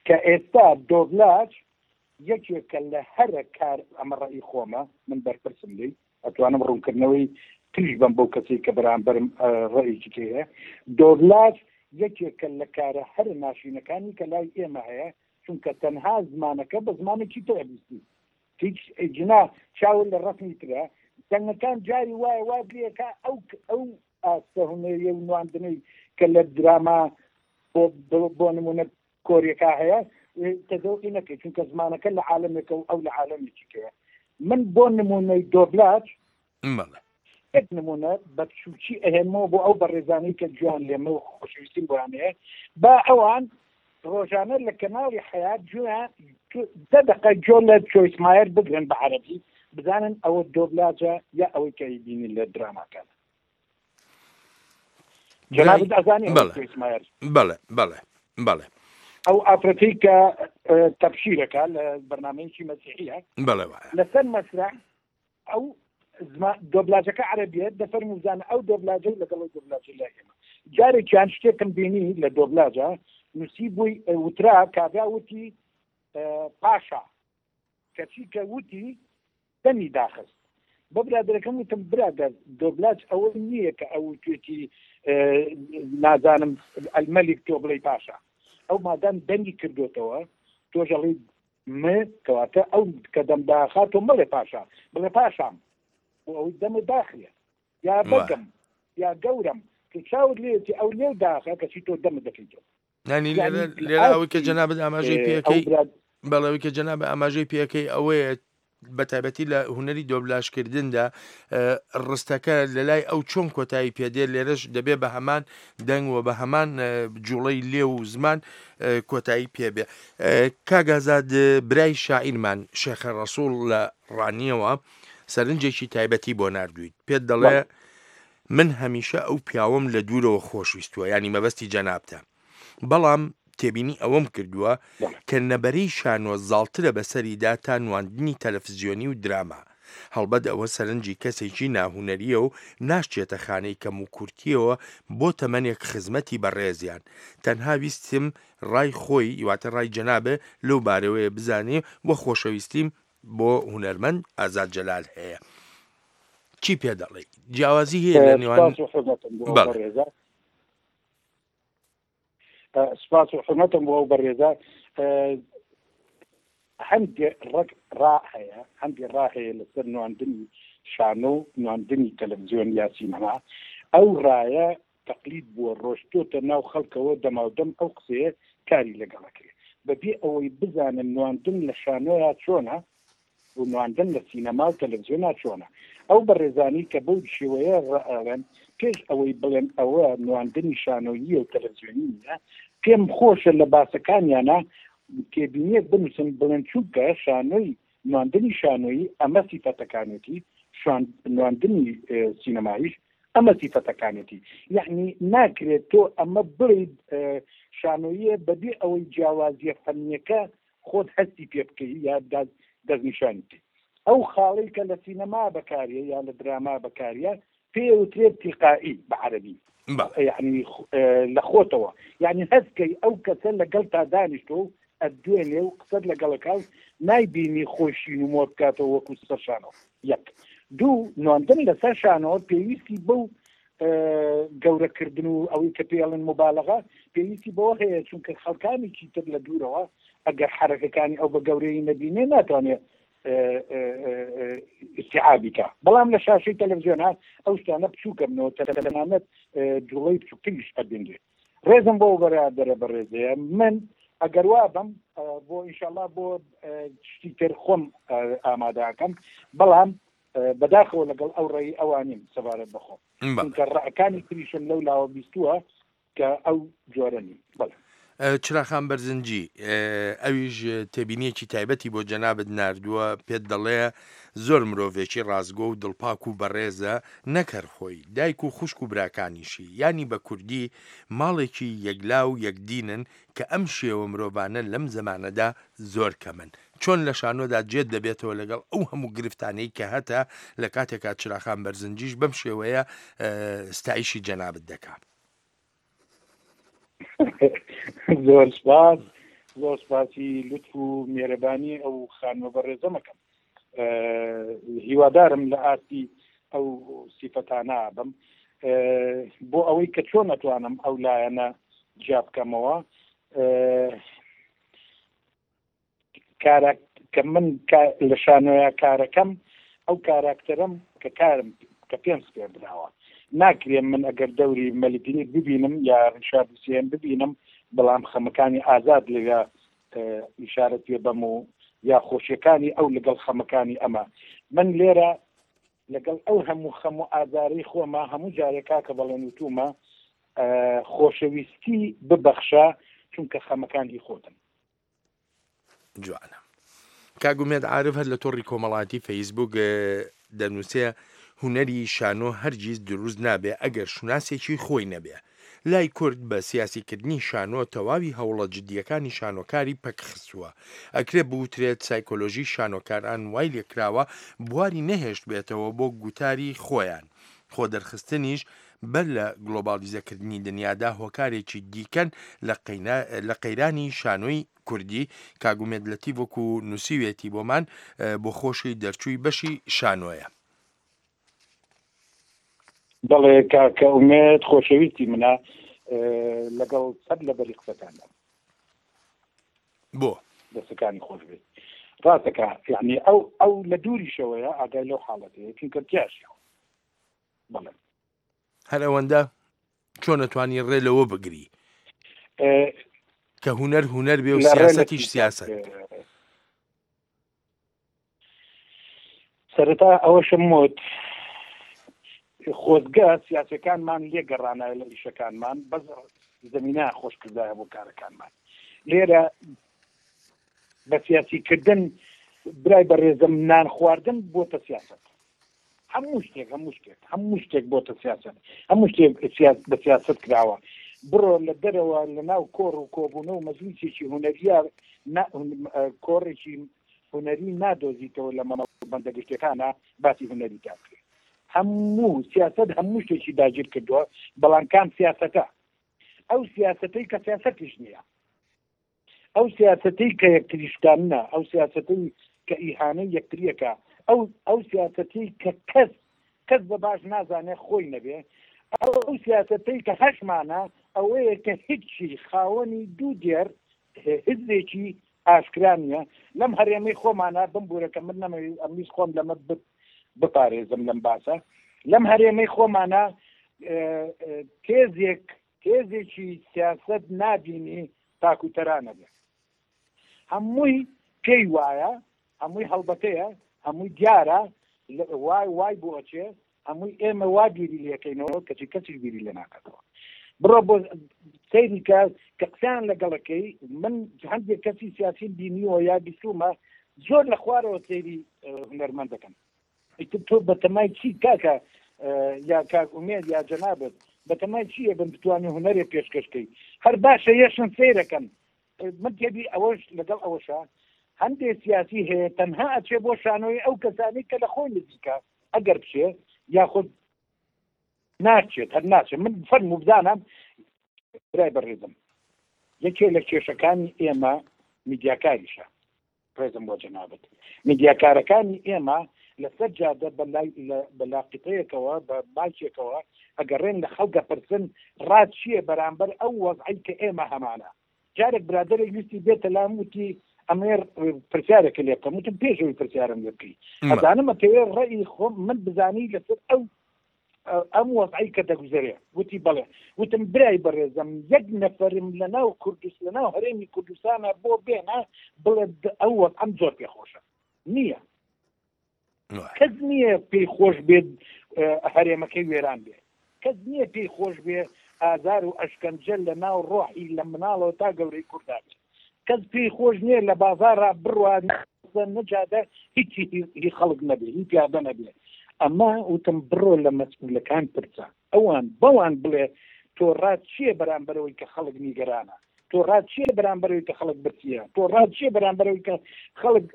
کە ئێستا دۆبلاج یەکێکە لە هەرە کار ئەمە ڕەئی خۆمە من بەرپرسم لێی ئەتوانم ڕوونکردنەوەی تریش بەم بەو کەسەی کە بەرامبەرم ڕەئیکی تری هەیە دۆبلاج یەکێکە لە کارە هەرە ناشرینەکانی کە لای ئێمە هەیە چونکە تەنها زمانەکە بە زمانێکی تر ئەبیستی هیچ جنا چاوت لە ڕەسمی ترە دەنگەکان جاری وایە وات لێکا ئەو ئەو ئاستە هونەریە و نواندنەی کە لە دراما بۆ بۆ نمونە کۆریەکە هەیە تەزەوقی نەکەی چونکە زمانەکە لە عالەمێکە و ئەو لە عالەمێکی کەیە من بۆ نمونەی دۆبلاج بەڵێ یەک نمونە بە بچوکی ئەهێنمەوە بۆ ئەو بەڕێزانەی کە گوێیان لێمە و خۆشەویستیم بۆیان هەیە با ئەوان ڕۆژانە لە کەناڵی حەیات گوێیان دە دەقە گوێ لە چۆیس مایەر بگرن بە عەرەبی بزانن ئەوە دۆبلاجە یا ئەوەی کە ئەیبینین لە دراماکان جەنابت ئەزانی ئەوە بەڵێ چۆیس مایەر بەڵێ بەڵێ بەڵێ ئەو ئافرەتەی کە تەبشیرەکە لە بەرنامەیەکی مەسیحیە بەڵێ وایە لەسەر مەسرح ئەو زما دۆبلاجەکە عەرەبیە دەفەرموو بزانە ئەو دۆبلاجە و لەگەڵ ئەو دۆبلاجە لای ئێمە جارێکیان شتێکم بینی لە دۆبلاجە نووسی بووی وترا کابرا وتی پاشا کەچی کە وتی دەمی داخست بە برادەرەکەم وتم برادەر دۆبلاج ئەوە نییە کە ئەو توێتی نازانم ئەلمەلیک تۆ بڵێی پاشا ئەو مادام دەنگی کردوتەوە تۆژەڵی م کەواتە ئەو کە دەم داخا تۆ مەڵێ پاشا بڵێ پاشام بۆ ئەوەی دەمت داخرێ یا بەگم یا گەورەم تۆ چاوت لێیەتی ئەو لێو داخە کەچی تۆ دەمت دەکەیتەوە یانی لێرە لێرە ئەوەی کە جەنابت ئاماژەی پێەکەی بەڵێ ئەوەی کە جەنابت ئاماژەی پێەکەی ئەوەیە. بە تایبەتی لە هونەری دۆبلاژکردندا ڕستەکە لە لای ئەو چۆن کۆتایی پێدێ لێرەش دەبێ بە هەمان دەنگ و بە هەمان جوڵەی لێو و زمان کۆتایی پێبێ. کاک ئازاد برای شاعیرمان شێخە ڕەسوڵ لە ڕانیەوە سەرنجێکی تایبەتی بۆ ناردوویت پێت دەڵێ من هەمیشە ئەو پیاوەم لە دوورەوە خۆشویستووە یانی مەبەستی جەنابتە بەڵام تێبینی ئەوەم کردووە کە نەبەرەی شانۆ زاڵترە بەسەریدا تا نواندنی تەلەفزیۆنی و دراما. هەڵبەت ئەوە سەرنجی کەسێکی ناهونەرییە و ناشچێتە خانەی کەموکورتییەوە بۆ تەمەنێک خزمەتی بەڕێزیان. تەنها ویستم ڕای خۆی واتە ڕای جەنابێ لەو بارەوەیە بزانێ و خۆشەویستیم بۆ هونەرمەند ئازاد جەلال هەیە. چی پێ دەڵێی؟ جیاوازی هەیە لە نێوان سپاس و حورمەتم بۆ ئەو بەڵێ. بەڕێزە. سپاس و حورمەتم بۆ ئەو بەڕێزە. هەندێ ڕەگ ڕا هەیە، هەندێ ڕا هەیە لەسەر نواندنی شانۆ و نواندنی تەلەفزیۆن یا سینەما. ئەو ڕایە تەقلید بووە، ڕۆشتۆتە ناو خەڵکەوە، دەماودەم ئەو قسەیە کاری لەگەڵ ئەکرێ. بەبێ ئەوەی بزانن نواندن لە شانۆیا چۆنە، و نواندن لە سینەما و تەلەفزیۆنا چۆنە؟ ئەو بەڕێزانەی کە بەو شێوەیە ڕائەڵێن پێش ئەوەی بڵێن ئەوە نواندنی شانۆییە و تەلەفزیۆنی نییە، پێم خۆشە لە باسەکانیانا تێبینییەک بنووسن بڵێن چونکە شانۆی نواندنی شانۆیی ئەمە سیفەتەکانێتی، نواندنی سینەماییش ئەمە سیفەتەکانێتی. یەعنی ناکرێت تۆ ئەمە بڵێی شانۆییە بەبێ ئەوەی جیاوازییە فەنییەکە خۆت هەستی پێ بکەی یا دەستنیشانی بکەی. ئەو خاڵەی کە لە سینەما بەکاریە یا لە دراما بەکاریە پێی ئەوترێت تیلقائی بە عەرەبی یەعنی لە خۆتەوە یەعنی هەست کەی ئەو کەسە لەگەڵتا دانیشتوە و ئەتدوێنێ و قسەت لەگەڵ ئەکا و نایبینی خۆی شین و مۆر بکاتەوە وەکو سەر شانۆ یەک دوو نواندن لەسەر شانۆ پێویستی بەو گەورەکردن و ئەوەی کە پێی ئەڵێن موبالەغە پێویستی بەوە هەیە چونکە خەڵکانێکی تر لە دوورەوە ئەگەر حەرەکەکانی ئەو بە گەورەیی نەبینێ ناتوانێت ئیستیعابی کا بەڵام لە شاشەی تەلەڤزیۆنا ئەو شتانە بچووکە بنەوە تەنانەت جوڵەی بچووکتریش ئەبینرێت ڕێزم بۆ بەرادەرە بەڕێزەیە من ئەگەر وا بم بۆ ئینشاءاللە بۆ شتی تر خۆم ئامادەکەم بەڵام بەداخەوە لەگەڵ ئەو ڕێی ئەوانیم سەبارەت بەخۆم چونکە ڕەکانی تریشم لەو لاوە بیستووە کە ئەو جۆرە نین بەڵێ. چراخان بەرزنجی ئەویش تێبینیەکی تایبەتی بۆ جەنابت ناردووە پێت دەڵێ زۆر مرۆڤێکی ڕاستگۆ و دڵپاک و بەڕێزە نەک هەر خۆی دایک و خوشک و براکانیشی یانی بە کوردی ماڵێکی یەکلا و یەکدینن کە ئەم شێوە مرۆڤانە لەم زەمانەدا زۆر کەمن چۆن لە شانۆدا جێت دەبێتەوە لەگەڵ ئەو هەموو گرفتانەی کە هەتە لە کاتێکا چراخان بەرزنجیش بەم شێوەیە ستایشی جەنابت دەکا. زۆر سپاس زۆر سپاسی لوتف و مێرەبانی ئەو خانمە بەڕێزەمەکەم هیوادارم لە ئاستی ئەو سیفەتانە بم بۆ ئەوەی کە چۆن ئەتوانم ئەو لایەنە جیا بکەمەوە کارا کە من لە شانۆیا کارەکەم ئەو کاراکتەرەم کە کارم کە پێم سپێردراوە ناکرێ من ئەگەر دەوری مەلیک لیر ببینم یا ڕیشارد سێیەم ببینم بەڵام خەمەکانی ئازاد لەویا ئیشارە پێ بەم و یا خۆشیەکانی ئەو لەگەڵ خەمەکانی ئەمە من لێرە لەگەڵ ئەو هەموو خەم و ئازارەی خۆما هەموو جارێک کاکە بەڵێن وتومە خۆشەویستی ببەخشە چونکە خەمەکان هی خۆتن. جوانە. کاک ئومێد عارف هەر لە تۆڕی کۆمەڵایەتی فەیسبوک دەنووسێ هونەری شانۆ هەرگیز دروست نابێ ئەگەر شوناسێکی خۆی نەبێ. لای کورد بە سیاسیکردنی شانۆ تەواوی هەوڵە جدییەکانی شانۆکاری پەکخستووە. ئەکرێ بوترێت سایکۆلۆژی شانۆکاران وای لێکراوە بواری نەهێشتبێتەوە بۆ گوتاری خۆیان. خۆدەرخستنیش بەر لە گلۆباڵیزەکردنی دنیادا هۆکارێکی دیکەن لە قەیرانی شانۆی کوردی، کاک ئومێد لەتیف وەکو نووسیوێتی بۆمان بۆ خۆشی دەرچووی بەشی شانۆیە. بەڵێ کاکە ئومێد خۆشەویستی منە لەگەڵ سەر لەبەری قسەکاندا. بۆ؟ دەستەکانی خۆش بێت ڕاستەکە یعنی ئەو ئەو لە دووریشەوەیە ئاگای لەو حاڵەتەیە چونکە تیاشیەوە بەڵێ هەر ئەوەندە چۆن ئەتوانی ڕێ لەوە بگری کە هونەر هونەر بێ و سیاسەتیش سیاسەت؟ سەرەتا ئەوەشم وت خۆزگە سیاسەکانمان لێ گەڕانایە لە ئیشەکانمان بەس زمینە خۆش کردایە بۆ کارەکانمان لێرە بە سیاسی کردن برای بەڕێزم نان خواردن بۆتە سیاست هەموو شتێک هەموو شتێک هەموو شتێک بۆتە سیاست هەموو شتێک بە سیاست کراوە بڕۆ لە دەرەوە لە ناو کۆڕ و کۆبوونە و مەجلیسێکی هونەریە کۆڕێکی هونەری نادۆزیتەوە لە مەڵبەندە گشتیەکانا باسی هونەری تا بکرێ هەموو سیاسەت هەموو شتێکی داگیر کردووە بەڵام کام سیاسەتە ئەو سیاسەتەی کە سیاسەتیش نییە ئەو سیاسەتەی کە یەکتریشکانە ئەو سیاسەتەی کە ئیهانەی یەکتریەکە ئەو ئەو سیاسەتەی کە کەس کەس بە باش نازانێ خۆی نەبێ ئەو سیاسەتەی کە هەشمانە ئەوەیە کە هیچی خاوەنی دوو دێر هزرێکی ئاشکرا نییە لەم هەرێمەی خۆمانە بمبورە کە من نەمەوێت ئەمویست خۆم لەمە بپارێزم لەم باسە لەم هەرێمەی خۆمانە تێزێک تێزێکی سیاست نابینی تاکو تەرانە بێ هەمووی پێی وایە هەمووی هەڵبەتەیە هەمووی دیارە وای وای بۆ ئەچێ هەمووی ئێمە وا بیری لێکەینەوە کەچی کەسیش بیری لێ ناکاتەوە بڕۆ بۆ سەیری کە کە قسەیان لەگەڵەکەی من هەندێک کەسی سیاسیم بینیوە یا بیستومە زۆر لە خوارەوە سەیری هونەرمەند دەکەن ئیتر تۆ بەتەمای چی کاکە یا کاک ئومێد یا جەنابت بەتەمای چییە بن بتوانانی هونەرێ پێشکەشکەی هەر باشە یەشن سەیرەکەن من تێبی ئەوەش لەگەڵ ئەوەشا هەندێ سیاسی هەیە تەنها ئەچێ بۆ شانۆی ئەو کەسانی کە لە خۆی نزیکە ئەگەر بچێ یاخود ناچێت هەر ناچێت من فەرموو بزانم برای بەڕێزم یەکێ لە کێشەکانی ئێمە میدیاکاریشە ڕێزم بۆ جەنابت میدیاکارەکانی ئێمە لەسەر جادە بە لاقیتەیەکەوە بە مایکێکەوە ئەگەڕێن لە خەڵک دەپرسن ڕات چییە بەرامبەر ئەو وەزعەی کە ئێمە هەمانە جارێک برادەرێک ویستی بێتە لام وتی ئەمێ پرسیارێکە لێ بکەم وتم پێش ئەوەی پرسیارم لێ بکەی ئەزانم ئەتەوێ ڕەئی خۆم من بزانی لەسەر ئەو ئەم وەزعەی کە دەگوزەرێ وتی بەڵێ وتم برای بەڕێزم یەک نەفەرم لە ناو کوردست لە ناو هەرێمی کوردستانە بۆ بێنە بڵێ ئەو وەزعەم زۆر پێخۆشە نییە کەس نییە پێی خۆش بێت هەرێمەکەی وێران بێ کەس نییە پێی خۆش بێ ئازار و ئەشکەنجە لە ناو ڕۆحی لە مناڵەوە تا گەورەی کوردا بێت کەس پێی خۆش نییە لە بازاڕا بڕوا نەجادە هیچی هی خەڵک نەبێ هی پیادە نەبێ ئەمە وتم بڕۆ لە مەسئولەکان پرسە ئەوان بەوان بڵێ تۆ ڕات چییە بەرامبەرەوەی کە خەڵک نیگەرانە تۆ ڕات چییە بەرامبەرەوەی کە خەڵک برسیە تۆ ڕات چییە بەرامبەرەوەی کە خەڵک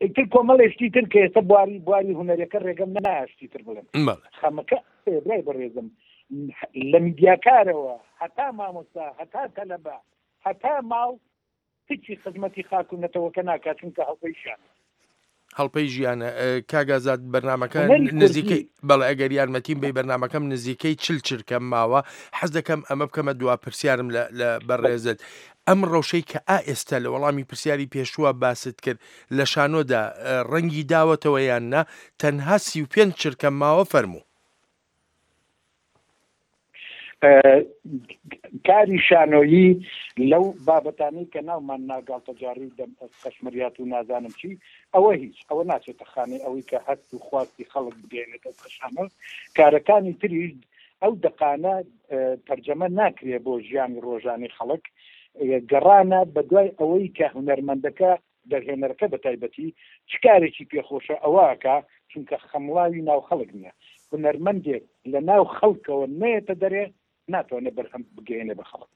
ئیتر کۆمەڵێ شتی تر کە ئێستا بواری بواری هونەرەکە ڕێگەم نایە شتی تر بڵێم خەمەکە برای بەڕێزم لە میدیاکارەوە هەتا مامۆستا هەتا تەلەبە هەتا ماڵ هیچی خزمەتی خاک و نەتەوەکە ناکات چونکە هەڵپەی ژیانە. هەڵپەی ژیانە کاک ئازاد بەرنامەکە نزیکەی بەڵێ ئەگەر یارمەتیم بی بەرنامەکەم نزیکەی چل چرکەم ماوە حەز دەکەم ئەمە بکەمە دوا پرسیارم لە بەڕێزت ئەم ڕەوشەی کە ئا ئێستا لە وەڵامی پرسیاری پێشووە باست کرد لە شانۆدا ڕەنگی داوەتەوە یان نا تەنها 35 چرکەم ماوە فەرموو. کاری شانۆیی لەو بابەتانەی کە ناومان نا گاڵتەجاڕی و دەم قەشمەریات و نازانم چی ئەوە هیچ ئەوە ناچێتە خانەی ئەوەی کە هەست و خواستی خەڵک بگەیەنێتە سەر شانۆ کارەکانی تریش ئەو دەقانە تەرجەمە ناکرێ بۆ ژیانی ڕۆژانەی خەڵک گەڕانە بەدوای ئەوەی کە هونەرمەندەکە دەرهێنەرەکە بە تایبەتی چ کارێکی پێخۆشە ئەوە ئەکا چونکە خەمڵاوی ناو خەڵک نیە هونەرمەندێک لە ناو خەڵکەوە نەیەتە دەرێ ناتوانێ بەرهەم بگەیەنێ بە خەڵک.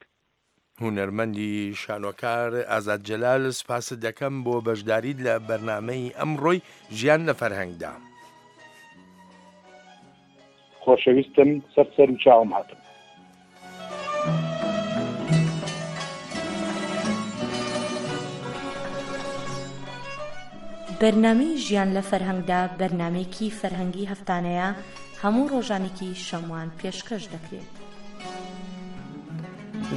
هونەرمەندی شانۆکار ئازاد جەلال سوپاست دەکەم بۆ بەشداریت لە بەرنامەی ئەمڕۆی ژیان لە فەرهەنگدا. خۆشەویستم سەر سەر و چاوم هاتم. بەرنامەی ژیان لە فەرهەنگدا بەرنامەیەکی فەرهەنگی هەفتانەیە هەموو ڕۆژانێکی شەموان پێشکەش دەکرێت.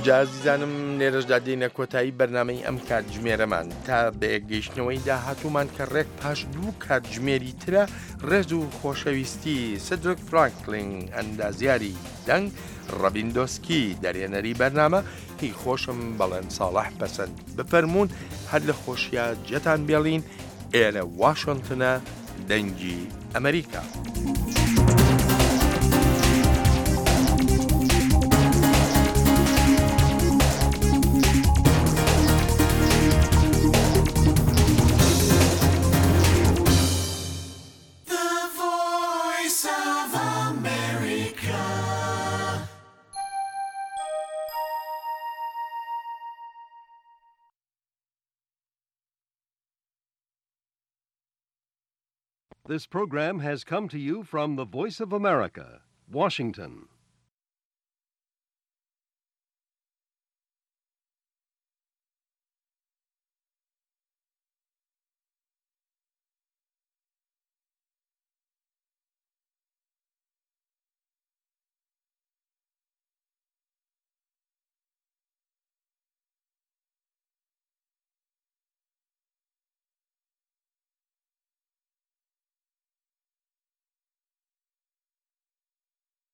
جا ئازیزانم لێرەشدا دێینە کۆتایی بەرنامەی ئەم کاتژمێرەمان تا بەیەکگەیشتنەوەی داهاتوومان کە ڕێک پاش دوو کاتژمێری ترە ڕێز و خۆشەویستی سدرک فرانکلین ئەندازیاری دەنگ ڕەبین دۆسکی دەرێنەری بەرنامە هی خۆشم بەڵێن ساڵح پەسەند بفەرموون هەر لە خۆشیا جێتان بێڵین ئێرە واشنتنە. دەنگی ئەمەریکا. This program has come to you from the Voice of America, Washington.